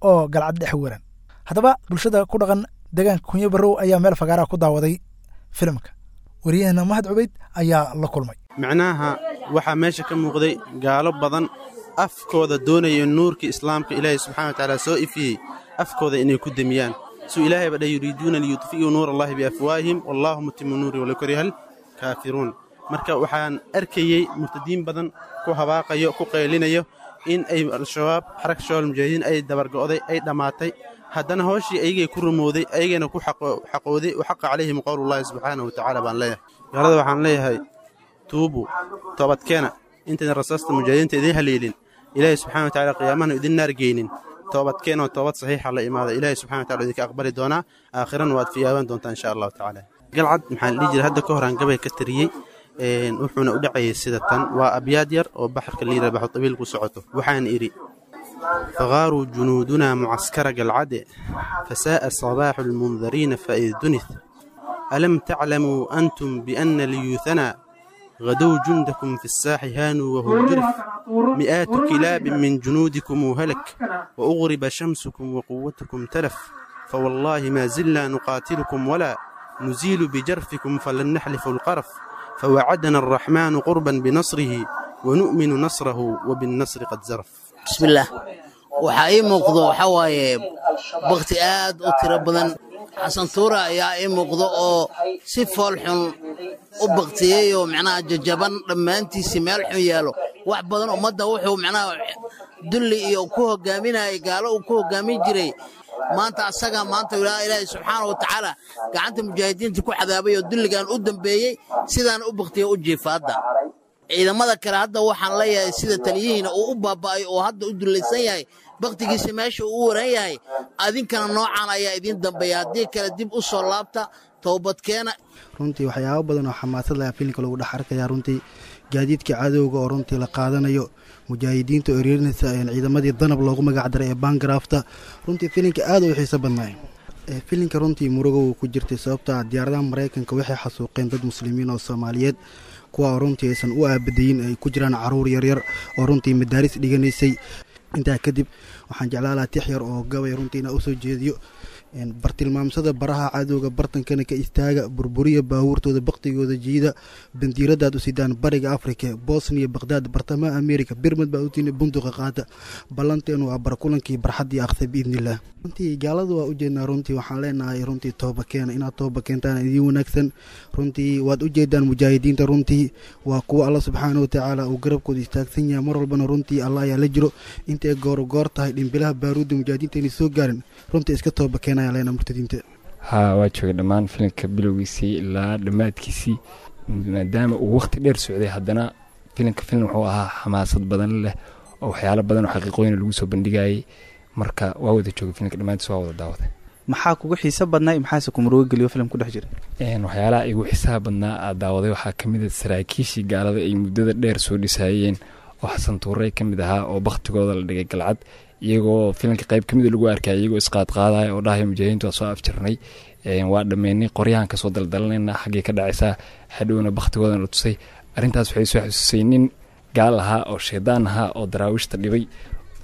oo Galcad dhex waran. Haddaba bulshada ku dhaqan deegaanka Kunyo Barrow ayaa meel fagaaraha ku daawaday filimka. Wariyahena Mahad Cubeyd ayaa la kulmay.
Macnaha waxaa meesha ka muuqday gaalo badan afkooda doonaya nuurkii islaamka ilaahay subxana watacaala soo ifiyey afkooda inay ku demiyaan. Suu ilaahay ba dhay yuriiduuna liyudfi'uu nuur allahi biafwaahihim wallaahu mutimu nuuri walaw karihal kaafiruun. Marka waxaan arkayey murtadiin badan ku habaaqayo ku qaylinayo In ay Al-Shabaab, Xaraka Shabaab Mujaahidiin, ay dabargo'day, ay dhammaatay. Haddana hooshii ayagay ku rumowday, ayagana ku xaqooday, wa xaqa calayhim qowlullaahi subxaanahu watacaala baan leeyahay. Gaalada waxaan leeyahay: tuubu, toobadkeena intayna rasaasta mujaahidiinta idiin haleelin, Ilaahay subxana watacaala qiyaamahana idin naargeynin. Toobadkeen oo toobad saxiixa la imaada, Ilaahay subxana watacala idinka aqbali doonaa, aakhirana waad fiyaabaan doontaa insha Allahu tacaala. Galcad maxaa la dhihi jiray? Hadda ka hor aan gabay ka tiriyey, wuxuuna u dhacayay sida tan. Waa abyaad yar oo baxarka liira baxu tabiil ku socoto. Waxaan idhi: faqaaruu junuudunaa mucaskara Galcade, fasaa'a sabaaxu lmundariina faid dunith, alam taclamuu antum bianna liyuuhanaa غدوا جندكم في الساح هانوا وهم جرف، مئات كلاب من جنودكم هلك، وأغرب شمسكم وقوتكم تلف، فوالله ما زلنا نقاتلكم ولا نزيل بجرفكم فلن نحلف القرف، فوعدنا الرحمن قربا بنصره ونؤمن نصره وبالنصر قد زرف.
بسم الله. Waxaa ii muuqdo waxaa waaye bakti aad u tiro badan. Xasan Tuura ayaa ii muuqdo oo si fool xun u baktiyey oo macnaha jajaban dhammaantiisii meel xun yaalo. Wax badan ummadda wuxuu macnaha dulli iyo ku hogaaminayay, gaalo uu ku hogaamin jiray, maanta asaga maanta Ilaahay subxaana wa tacaala gacanta mujaahidiinta ku cadaabay oo dulligan u dambeeyey sidaan u baktiya u jiifa. Hadda ciidamada kale hadda waxaan leeyahay, sida taliyihiina uu u baaba'ay oo hadda u dullaysan yahay, baktigiisa meesha uu u waran yahay, adinkana noocan ayaa idiin dambeeya. Haddii kale dib u soo laabta, toobadkeena.
Runtii waxyaabo badan oo xamaasad leh filimka lagu dhex arkaya. Runtii gaadiidka cadowga oo runtii la qaadanayo, mujaahidiinta oo ereerinaysa ciidamadii Danab loogu magac daray ee Baangaraafta. Runtii filimka aad u xiiso badnaay. Filimka runtii murugo uu ku jirtay, sababta diyaaradaha Maraykanka waxay xasuuqeen dad Muslimiin oo Soomaaliyeed, kuwa oo runtii aysan u aabadayin, ay ku jiraan caruur yaryar oo runtii madaaris dhiganaysay. Intaa kadib waxaan jeclaan lahaa tix yar oo gabay runtii inaa usoo jeediyo. Bartilmaamsada baraha cadowga, bartankana ka istaaga, burburiya baabuurtooda, baktigooda jiida, bandiiradaad u sidaan bariga Afrika, Bosniya, Baqhdaad, bartamaha Amerika, Birmad baa utiin, bunduqa qaata. Ballanteenu waa barkulankii barxaddii akhsa biidnillaah. Runtii gaaladu waa ujeednaa. Runtii waxaan leenahay runtii tooba keena. Inaad tooba keentaan idiin wanaagsan. Runtii waad ujeedaan mujaahidiinta, runtii waa kuwa Alla subxaana watacaala uu garabkooda istaagsan yahay mar walbana. Runtii Alla ayaa la jiro. Intay goor goor tahay, dhimbilaha baaruudda mujaahidiinta inay soo gaarin, runtii iska tooba keenaya leena murtadiinta.
Haa, waa joogay dhammaan filimka bilowgiisii ilaa dhammaadkiisii. Maadaama uu waqti dheer socday, haddana filimka filim wuxuu ahaa xamaasad badan leh oo waxyaalo badan oo xaqiiqooyin lagu soo bandhigayay. Marka waa wada joogay filimka dhammaantiis, waa wada daawaday.
Maxaa kugu xiiso badnaa, maxaase ku murugo geliyo filim ku dhex jira?
Waxyaalaha igu xiisaha badnaa aad daawaday waxaa ka mid a saraakiishii gaalada ay muddada dheer soo dhisayeen oo Xasan Tuurey ka mid ahaa oo baktigooda la dhigay Galcad, iyagoo filimka qayb ka mida lagu arkaya iyagoo isqaadqaadaya oo dhahaya: "Mujaahidiintu waa soo afjarnay, waa dhammeynay, qoryahan kasoo daldalanayna, xaggay ka dhacaysaa?" Hadhowna baktigoodana la tusay. Arrintaas waxay soo xasuusay nin gaal ahaa oo shaydaan ahaa oo Daraawiishta dhibay,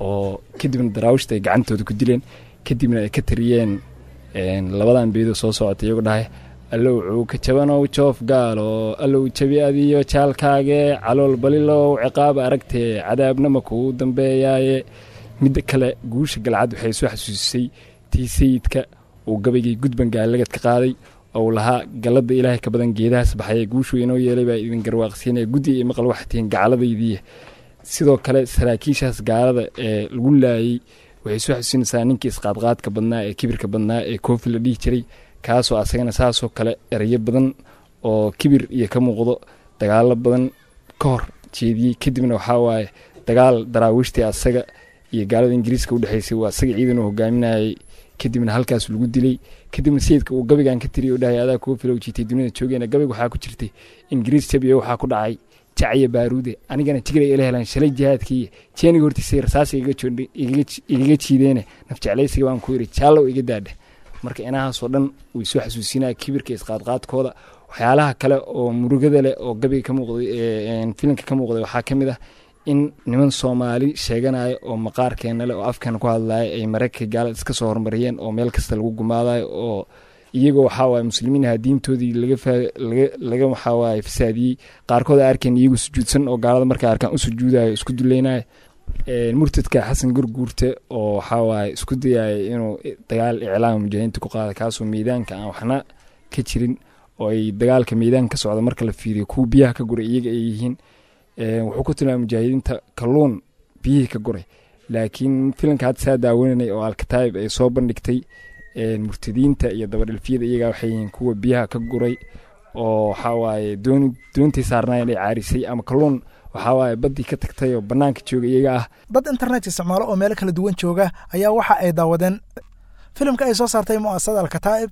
oo kadibna Daraawiishta ay gacantooda ku dileen, kadibna ay ka tariyeen labadan beedoo soo socota iyagoo dhahay: "Allow cuuka jabanow joof gaalo, allow jabi adiyo jaalkaage, calool balilow ciqaab aragtee, cadaabna ma kuu dambeeyaaye." Midda kale, guusha Galcad waxay soo xasuusisay tii Sayidka uu gabaygii Gudban gaalagad ka qaaday ou lahaa: "Galladda Ilaahay ka badan geedahaas baxaya, guushuu inoo yeelay baa idin garwaaqsiinaya, guddi iyo maqal waxaa tihiin gacaladaydii." Sidoo kale saraakiishaas gaalada ee lagu laayay waxay soo xasuusinaysaa ninkii isqaadqaadka badnaa ee kibirka badnaa ee Koofi la dhihi jiray, kaasoo asagana saasoo kale erayo badan oo kibir iyo ka muuqdo dagaalo badan ka hor jeediyey. Kadibna waxaa waaye dagaal Daraawiishtii asaga iyo gaalada Ingiriiska udhexaysay waa asaga ciidan uu hogaaminayay, kadibna halkaas lagu dilay. Kadibna Sayidka uu gabaygan ka tiriyay oo dhahay: "Adaa Koofilow jiitay dunida joogeena." Gabayga waxaa ku jirtay: "Ingiriis jabiyo waxaa ku dhacay jacya baaruude, anigana jigray ila helaan shalay jihaadkii, jeeniga hortiisay rasaas igaga jiideene, nafjeclaysiga baan ku yidhi jaallow iga daadhe." Marka inahaasoo dhan way soo xasuusinaya kibirka isqaadqaadkooda. Waxyaalaha kale oo murugada leh oo gabayga ka muuqday, filimka ka muuqday, waxaa ka mid ah in niman Soomaali sheeganaya oo maqaarkeena leh oo afkeena ku hadlaya ay Maraykanka gaalada iska soo horumariyeen oo meel kasta lagu gumaadayo, oo iyagoo waxaa waaye Muslimiin ahaa diintoodii laga laga laga waxaa waaye fasaadiyey. Qaarkood ay arkeen iyagoo sujuudsan oo gaalada markay arkaan u sujuudayo, isku duleynaya. Murtadka Xasan Gurguurte oo waxaa waaye isku dayaya inuu dagaal iclaama mujaahidiinta ku qaada, kaasoo miidaanka aan waxna ka jirin, oo ay dagaalka miidaanka ka socda marka la fiiriyo kuwa biyaha ka guray iyaga ay yihiin. Wuxuu ku tilmaamay mujaahidiinta kalluun Biyihii ka guray. Laakiin filanka hadda saa daawananay oo Alkataayib ay soo bandhigtay, murtadiinta iyo dabadhilfiyada iyagaa waxay yihiin kuwa biyaha ka guray, oo waxaa waaye doon doontii saarnaayeen ay caarisay ama kalluun waxaa waaye baddii ka tagtay oo bannaanka jooga iyaga ah.
Dad internet isticmaalo oo meelo kala duwan jooga ayaa waxa ay daawadeen filimka ay soo saartay mu'asasada Alkataa'ib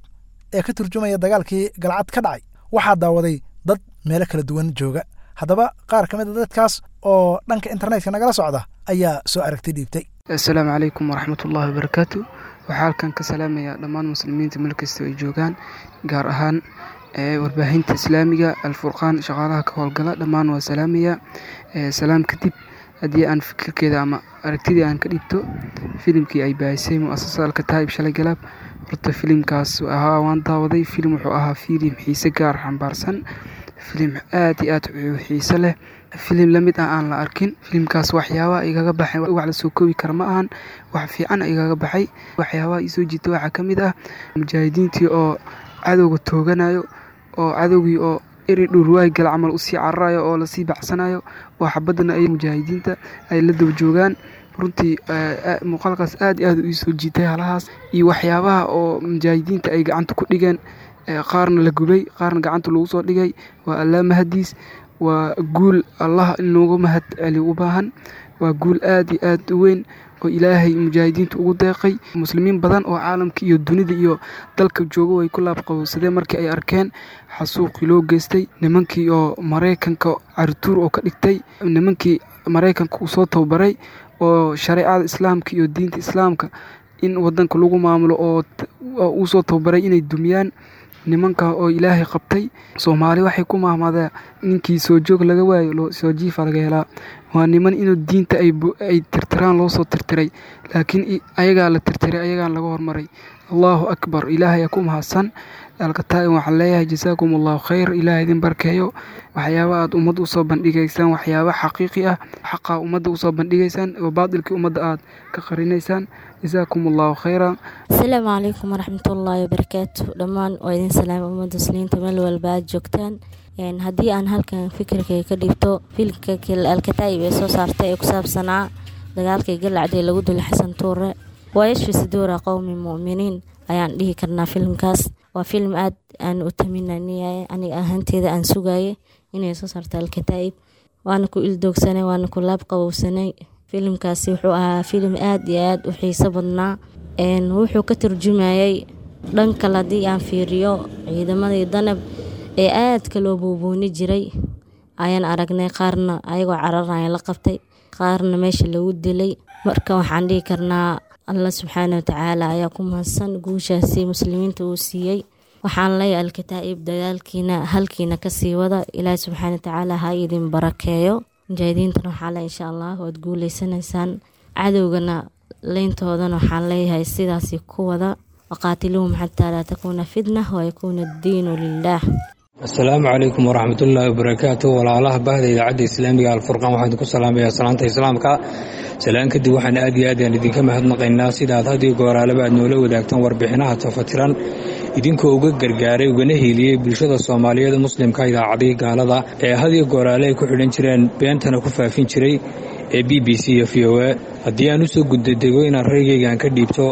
ee ka turjumaya dagaalkii Galcad ka dhacay. Waxaa daawaday dad meelo kala duwan jooga. Haddaba qaar ka mid a dadkaas oo dhanka internetka nagala socda ayaa soo aragti dhiibtay.
Assalaamu calaykum waraxmatullaahi wabarakaatu. Waxaa halkan ka salaamayaa dhammaan muslimiinta meel kasta ay joogaan, gaar ahaan warbaahinta islaamiga Alfurqaan, shaqaalaha ka howlgala dhammaan waa salaamaya. Salaam kadib, haddii aan fikirkeeda ama aragtidii aan ka dhibto filimkii ay baahisay mu'asasada Alkataa'ib shalay galaab, horta filimkaas ahaa waan daawaday. Filim wuxuu ahaa filim xiise gaar xambaarsan, filim aad iyo aad u xiise leh, filim lamid ah aan la arkin. Filimkaas waxyaabaha igaga baxay wax la soo koobi kara ma ahan, wax fiican igaga baxay. Waxyaabaha isoo jiita waxaa ka mid ah mujaahidiintii oo cadowga tooganayo, oo cadowgii oo eri dhurwaay gal camal usii cararayo oo lasii bacsanayo, oo xabadana ay mujaahidiinta ay la daba joogaan. Runtii muuqaalkaas aad iyo aad u iisoo jiitay halahaas iyo waxyaabaha oo mujaahidiinta ay gacanta ku dhigeen, qaarna la gubay, qaarna gacanta lagu soo dhigay. Waa Allaa mahadiis, waa guul Allah in loogu mahad celiyo u baahan, waa guul aad iyo aad u weyn oo Ilaahay mujaahidiinta ugu deeqay. Muslimiin badan oo caalamka iyo dunida iyo dalka jooga way ku laabqabowsadeen markii ay arkeen xasuuqii loo geystay nimankii oo Maraykanka carituur oo ka dhigtay, nimankii Maraykanka uu soo tababaray oo shareecada islaamka iyo diinta islaamka in wadanka lagu maamulo oo uu soo tababaray inay dumiyaan, nimanka oo Ilaahay qabtay. Soomaali waxay ku mahmadeen ninkii soo joog laga waayo soo jiifa laga helaa. Waa niman inuu diinta ay ay tirtiraan loo soo tirtiray, laakiin ayagaa la tirtiray, ayagaan laga hormaray. Allahu akbar, Ilaahay ku mahadsan. Alkataa'ib waxaan leeyahay jasaakum Allahu khayr, Ilaahay idin barkeeyo. Waxyaaba aad ummadda usoo bandhigaysaan, waxyaaba xaqiiqi ah, xaqa ummadda usoo bandhigaysaan oo baadilkii ummadda aad ka qarinaysaan. Jasaakum Allahu khayra.
Asalaamu calaykum waraxmatullaahi wabarakaatu. Dhammaan waa idin salaama ummadda muslimiinta meel walba aad joogtaan. Haddii aan halkan fikirkay ka dhibto filmka Alkataa'ib ee soo saartay ee ku saabsanaa dagaalkii Galcad ee lagu dilay Xasan Tuure, waa yashfi suduura qowmi mu'miniin ayaan dhihi karnaa. Filimkaas waa film aad aan u taminaniyay, aniga ahaanteeda aan sugayay inay soo saarto Alkataa'ib, waana ku ildoogsanay, waana ku laab qabowsanay. Filimkaasi wuxuu ahaa filim aad iyo aad u xiiso badnaa. Wuxuu ka turjumayay dhan kale haddii aan fiiriyo ciidamadii danab ee aadka loo buubuuni jiray ayaan aragnay, qaarna ayagoo cararaya la qabtay, qaarna meesha lagu dilay. Marka waxaan dhihi karnaa Allah subxaana watacaala ayaa ku mahadsan guushaasi muslimiinta uu siiyey. Waxaan leeyahay Alkataa'ib dagaalkiina halkiina kasii wada, Ilaahi subxaana watacaala ha idin barakeeyo. Mujaahidiintana waxaa le insha Allah waad guuleysanaysaan, cadowgana leyntoodana waxaan leeyahay sidaasi ku wada, waqaatiluhum xataa laa takuuna fitna wayakuuna addiinu lilaah.
Asalaamu calaykum waraxmatullaahi wabarakaatu. Walaalaha bahda idaacadda islaamiga Alfurqaan, waxaan idinku salaamayaa salaanta islaamka. Salaan kadib, waxaan aad iyo aad aan idinka mahadnaqaynaa sidaad had iyo gooraalaba aad noola wadaagtaan warbixinaha tafatiran, idinkoo uga gargaaray ugana hiiliyey bulshada Soomaaliyeed muslimka idaacadihii gaalada ee had iyo gooraale ay ku xidhan jireen beentana ku faafin jiray ee B B C iyo V O A. Haddii aan usoo gudadego inaan raygaygaan ka dhiibto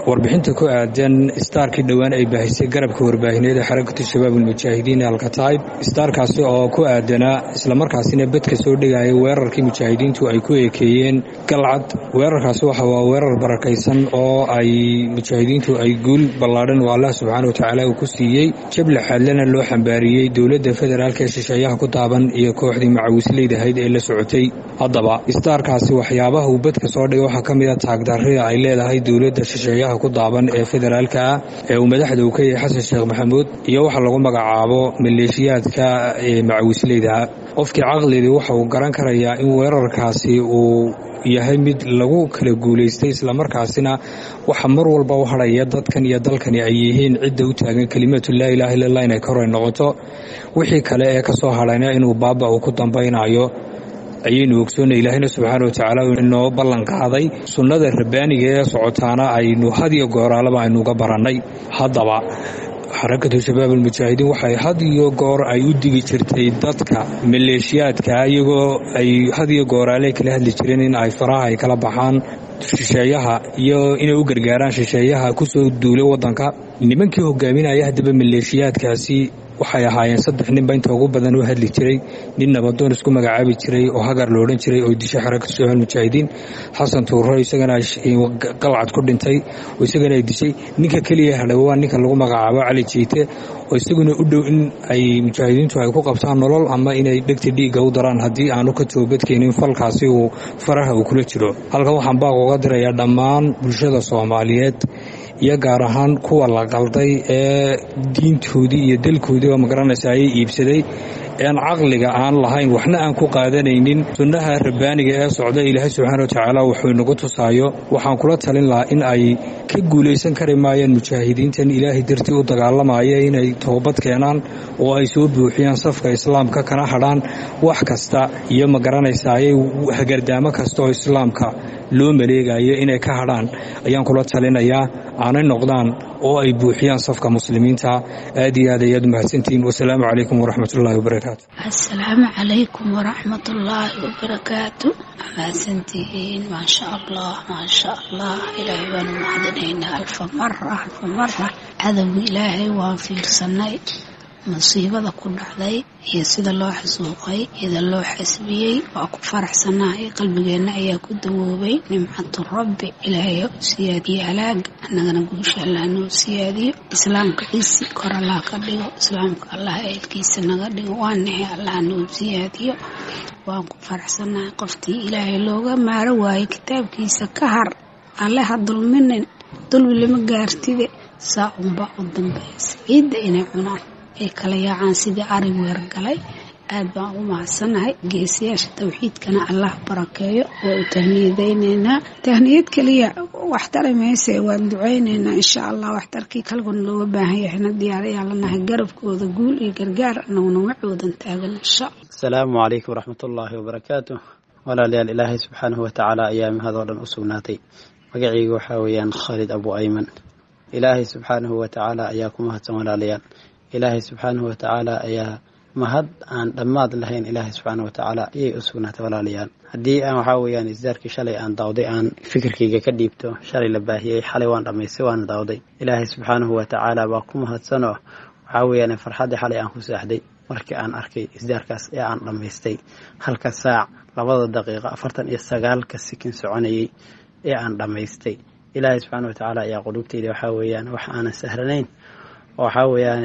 warbixinta ku aadan istaarkii dhowaan ay baahisay garabka warbaahineed ee Xarakatu Shabaab Almujaahidiin ee Alkataa'ib, istaarkaasi oo ku aadanaa islamarkaasina bedka soo dhigaya weerarkii mujaahidiintu ay ku eekeeyeen Galcad. Weerarkaasi waxa waa weerar barakaysan oo ay mujaahidiintu ay guul ballaadhan oo Allah subxaana watacaala uu ku siiyey, jable xaadlana loo xambaariyey dowladda federaalka ee shisheeyaha ku taaban iyo kooxdii macawisleyda ahayd ee la socotay. Haddaba istaarkaasi waxyaabaha uu bedka soo dhigay waxaa ka mid a taagdarrida ay leedahay dowladda shisheeyaha ku daaban ee federaalka ah ee uu madaxda uu ka yahay Xasan Sheekh Maxamuud iyo waxa lagu magacaabo maleeshiyaadka ee macawisleyda. Qofkii caqligii waxa uu garan karayaa in weerarkaasi uu yahay mid lagu kala guulaystay, islamarkaasina waxa mar walba u hadhaya dadkan iyo dalkani ay yihiin cidda u taagan kelimatu laa ilaaha illallah inay kor ay noqoto, wixii kale ee ka soo hadhayna inuu baaba uu ku dambaynayo ayaynu ogsoonnay. Ilaahayna subxaana watacaala inoo ballan qaaday, sunnada rabbaaniga ee socotaana aynu had iyo gooraalaba aynu uga barannay. Haddaba Xarakatu Shabaab Almujaahidiin waxay had iyo goor ay u digi jirtay dadka maleeshiyaadka, iyagoo ay had iyo gooraale kala hadli jireen in ay faraha ay kala baxaan shisheeyaha iyo inay u gargaaraan shisheeyaha kusoo duulay wadanka. Nimankii hogaaminaya haddaba maleeshiyaadkaasi waxay ahaayeen saddex ninba inta ugu badan u hadli jiray: nin nabadoon isku magacaabi jiray oo Hagar lo odhan jiray oo dishay Xarakatu Shabaab Mujaahidiin, Xasan Tuuro isagana Qalcad ku dhintay oo isagana ay dishay. Ninka keliya hadhay waa ninka lagu magacaabo Cali Jiite, oo isaguna u dhow in ay mujaahidiintu ay ku qabtaan nolol ama inay dhegta dhiigga u daraan haddii aanu ka toobadkeenin falkaasi uu faraha uu kula jiro. Halkan waxaan baaq uga dirayaa dhammaan bulshada Soomaaliyeed iyo gaar ahaan kuwa la qalday ee diintoodii iyo dalkoodii oo magaranaysa ayay iibsaday, aan caqliga aan lahayn, waxna aan ku qaadanaynin sunnaha rabbaaniga ee socda. Ilaahay subxaana wa tacaala wuxuu inagu tusaayo waxaan kula talin lahaa in ay ka guulaysan kari maayaan mujaahidiintan Ilaahay dartii u dagaalamaya, inay toobad keenaan oo ay soo buuxiyaan safka islaamka, kana hadhaan wax kasta iyo magaranaysa ayay hagardaamo kasta oo islaamka loo maleegayo inay ka hadhaan ayaan kula talinayaa, aanay noqdaan oo ay buuxiyaan safka muslimiinta. Aad iyo aad ayaad umahadsantihiin. Wasalaamu calaykum waraxmatullaahi wabarakaatu.
Asalaamu calaykum waraxmatullaahi wabarakaatu. Mahadsantihiin, maasha Allah, maasha Allah. Ilaahay baanu mahadinaynaa alfa mara, alfa mara. Cadowga Ilaahay waan fiirsanay musiibada ku dhacday iyo sida loo xasuuqay, sida loo xasbiyey. Waa ku faraxsanahay, qalbigeenna ayaa ku dawoobay nimcatu rabbi. Ilaahay ha u siyaadiye halaaga, annagana guusha Allah noo siyaadiyo. Islaamka ciisi kor Allah ka dhigo, islaamka Allah eelkiisa naga dhigo. Waa naxay, Allah noo siyaadiyo. Waan ku faraxsanahay. Qoftii Ilaahay looga maaro waayo kitaabkiisa ka har, Alle ha dulminin, dulmi lama gaartide. Saa unbaa u dambaysa ciidda inay cunaan, ay kala yaacaan sidii ari weergalay. Aad baan ugu mahadsannahay. Geesiyaasha tawxiidkana Allah barakeeyo. Waa u tahniyadaynaynaa. Tahniyad keliya wax tari mayse, waan ducaynaynaa insha Allah. Waxtarkii kalguna looga baahan yahayna diyaar ayaa lanahay. Garabkooda guul iyo gargaar, anaguna wacoodan taagan insha Allah.
Asalaamu calaykum waraxmatullaahi wabarakaatu. Walaalayaal, Ilaahay subxaanahu watacaala ayaa mahadoo dhan u sugnaatay. Magacaygu waxaa weeyaan Khaalid Abu Ayman. Ilaahay subxaanahu watacaala ayaa ku mahadsan. Walaalayaal, Ilaahay subxaanahu watacaala ayaa mahad aan dhammaad lahayn, Ilaahay subxaanahu watacaala ayay u sugnaatay. Walaalayaal, haddii aan waxaa weeyaan isdaarkii shalay aan daawday aan fikirkayga ka dhiibto, shalay la baahiyey, xalay waan dhammaystay, waana daawday. Ilaahay subxaanahu watacaala baa ku mahadsanoo waxaa weeyaan farxaddii xalay aan ku seexday markii aan arkay isdaarkaas ee aan dhammaystay, halka saac labada daqiiqo afartan iyo sagaalka sikin soconayay ee aan dhammaystay. Ilaahay subxaana watacaala ayaa qulubtayda waxaa weeyaan wax aanan sahlanayn oo waxaa weeyaan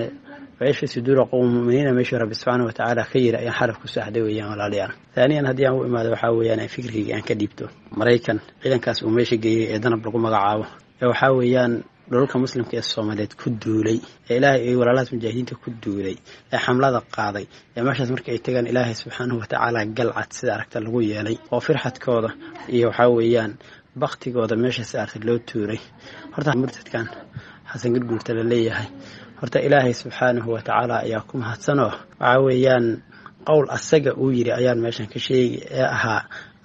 wcishi suduura qowm muminiina meeshuu Rabbi subxaana watacaala ka yiri ayaan xaraf ku saaxday weeyaan. Walaalayaal, taaniyan haddii aan u imaado waxaa weeyaan fikirkayga aan ka dhiibto Maraykan ciidankaas uu meesha geeyey ee Danab lagu magacaabo ee waxaa weeyaan dhulalka muslimka ee Soomaaliyeed ku duulay, ee Ilaahay ay walaalahaas mujaahidiinta ku duulay, ee xamlada qaaday, ee meeshaas marka ay tagaan Ilaahay subxaanahu watacaala galcad sida aragta lagu yeelay oo firxadkooda iyo waxaa weeyaan baktigooda meeshaas aragta loo tuuray. Horta murtadkan Xasan Gurguurta la leeyahay, horta Ilaahay subxaanahu watacaala ayaa ku mahadsanoo waxaa weeyaan qowl asaga uu yiri ayaan meeshan ka sheegi ee ahaa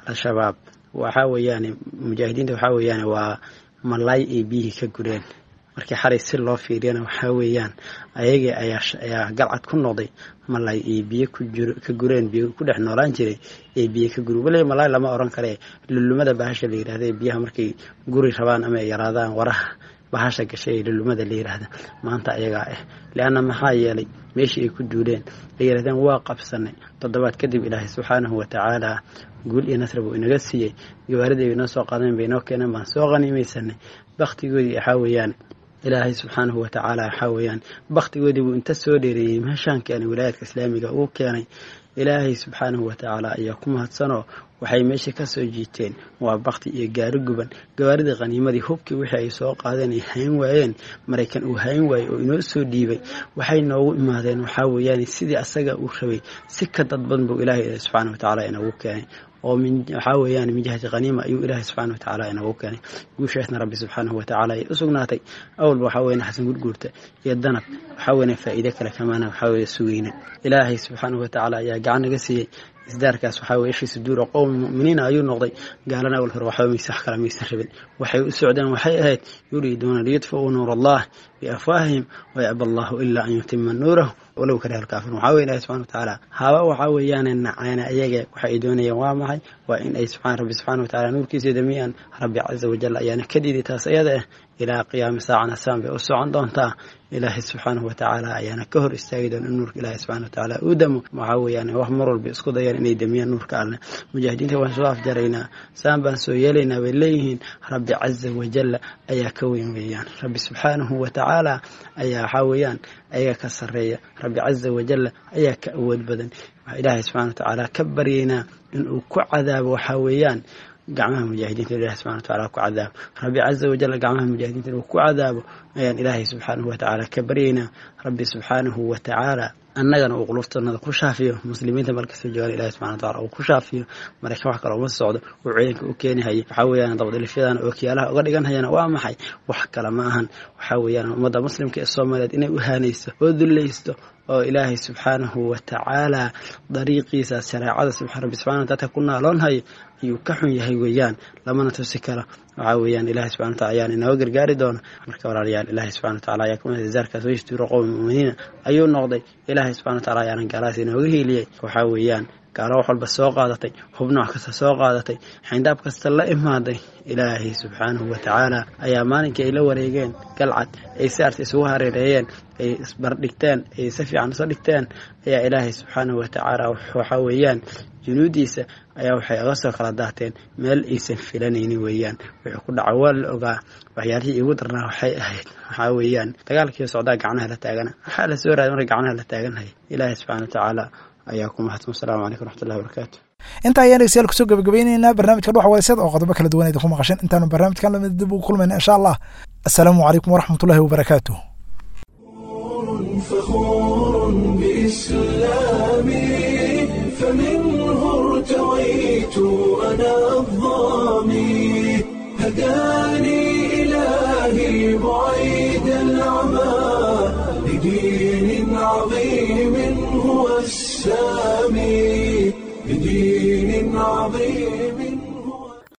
Al-Shabaab waxaa weeyaan mujaahidiinta waxaa weeyaan waa malaay ay biyihii ka gureen. Markii xalay si loo fiiriyana waxaa weeyaan ayagii ayaa ayaa galcad ku noqday malaay ay biyo ka gureen, biyo ku dhex noolaan jiray ee biyo ka guri. Waliba malaay lama oran kare, lulumada bahasha la yidhahda ee biyaha markay guri rabaan ama ay yaraadaan waraha bahasha gashay ee lulumada la yidhaahda maanta ayagaa ah. Lianna maxaa yeelay meeshii ay ku duuleen ay yidhahdeen waa qabsanay, toddobaad kadib Ilaahay subxaanahu watacaala guul iyo nasri buu inaga siiyey. Gawaaridii bay inoo soo qaadeen, bay inoo keeneen, baan soo qaniimaysanay. Baktigoodii waxaa weeyaan Ilaahay subxaanahu watacaala waxaa weeyaan baktigoodii buu inta soo dheereeyey meeshaan keenay, wilaayadka islaamiga uu keenay. Ilaahay subxaanahu watacaala ayaa ku mahadsanoo waxay meesha ka soo jiiteen waa bakti iyo gaari guban. Gawaaridii qaniimadii hubkii wixii ay soo qaadeen ay hayn waayeen, Maraykan uu hayn waayey oo inoo soo dhiibay, waxay noogu imaadeen waxaa weeyaan sidii asaga uu rabay si ka dadban buu Ilaahay subxaanahu watacaala inoogu keenay oo min waxaa weeyaan min jihati qaniima ayuu Ilaahay subxaanahu watacaala inoogu keenay. Guushaasna Rabbi subxaanahu watacaala ay u sugnaatay. Awalba waxaa weeyaan Xasan Gurguurta iyo Danab waxaa weeyaan faa'iido kale kamaana waxaa weeye sugayna. Ilaahay subxaanahu watacaala ayaa gacan naga siiyey isdaarkaas. Waxaa weeye ishii suduura qowmi mu'miniina ayuu noqday. Gaalana awal hore waxba maysa wax kale maysan rabin, waxay u socdeen waxay ahayd yuriiduuna liyudfi'uu nuur Allah. biafwaahihim wayaba allahu ilaa an yutima nuurahu walow kariha alkaafiruun. Waxaa weye ilahi subxana watacaala haba waxaa weeyaan nacaana ayaga waxa ay doonayaan waa maxay? Waa in ay subxaan rabbi subxaana watacaala nuurkiisa damiyaan. Rabbi caza wajal ayaana ka diiday taas iyada ah. Ilaa qiyaami saacana saan bay u socon doontaa. Ilaahay subxaanahu watacaala ayaana ka hor istaagi doona in nuurka ilaahay subxana watacaala uu damo. Waxaa weeyaan wax mar walba isku dayaan inay damiyaan nuurka Alleh. Mujaahidiinta waan soo afjaraynaa, saan baan soo yeelaynaa bay leeyihiin. Rabbi caza wajalla ayaa ka weyn weeyaan. Rabbi subxaanahu watacaala ayaa waxaa weeyaan ayaga ka sarreeya. Rabbi caza wajalla ayaa ka awood badan. Waxaa ilaahay subxana watacaala ka baryaynaa inuu ku cadaabo waxaa weeyaan gacmaha mujaahidiinta. Ilahi subxana watacaala ku cadaabo, rabbi caza wajalla gacmaha mujaahidiinta inuu ku cadaabo ayaan ilaahay subxaanahu watacaala ka baryaynaa. Rabbi subxaanahu watacaala annagana uu quluftanada ku shaafiyo, muslimiinta markasta joogaan ilahi subxana wataala uu ku shaafiyo. Maraykan wax kale uma socdo uu ciidanka u keenihaya waxaa weeyaan dabadilifyadan ookiyaalaha uga dhiganhayana waa maxay? Wax kale ma ahan, waxaa weeyaan ummadda muslimka ee Soomaaliyeed inay u haanayso oo dullaysto oo ilaahay subxaanahu watacaala dariiqiisa shareecada subxa rabbi subxana dadka ku naaloonhayo ayuu ka xun yahay weeyaan, lamana tusi karo. Waxaa weeyaan ilaahay subxana wataala ayaan inooga gargaari doona. Marka walaalayaal, ilaahay subxana wataala ayaa kuma zaarkaas waystuuro qowmi mu'miniina ayuu noqday. Ilaahay subxana wataala ayaana gaalahaas inooga hiiliyey. Waxaa weeyaan gaalo wax walba soo qaadatay, hub nooc kasta soo qaadatay, xayndaab kasta la imaaday, ilaahay subxaanahu watacaala ayaa maalinkii ay la wareegeen Galcad, ay si arta isugu hareereeyeen, ay isbardhigteen, ay si fiican iso dhigteen, ayaa ilaahay subxaanahu watacaala waxaa weeyaan junuudiisa ayaa waxay oga soo kala daateen meel aysan filanaynin weeyaan. Wuxuu ku dhaca waa la ogaa. Waxyaalihii iigu darnaa waxay ahayd waxaa weeyaan dagaalkii socdaa gacnaha la taagana, waxaa la soo raaday marka gacnaha la taaganhaya. Ilaahay subxaana watacaala ayaa ku mahadsan. Wasalaamu calaykum waraxmatullahi wabarakaatu.
Intaa ayaan dhegeystayaal kusoo gabagabeyneynaa barnaamijka Dhuxa Wadaysad oo qodobo kala duwan idinku maqasheen. Intaanu barnaamijkan lamid dib ugu kulmayna insha Allah, assalaamu calaykum waraxmatullahi wabarakaatuh.
فخور بإسلامي فمنه ارتويت أنا الظامي هداني إلهي بعيد العمى لدين عظيم هو السامي.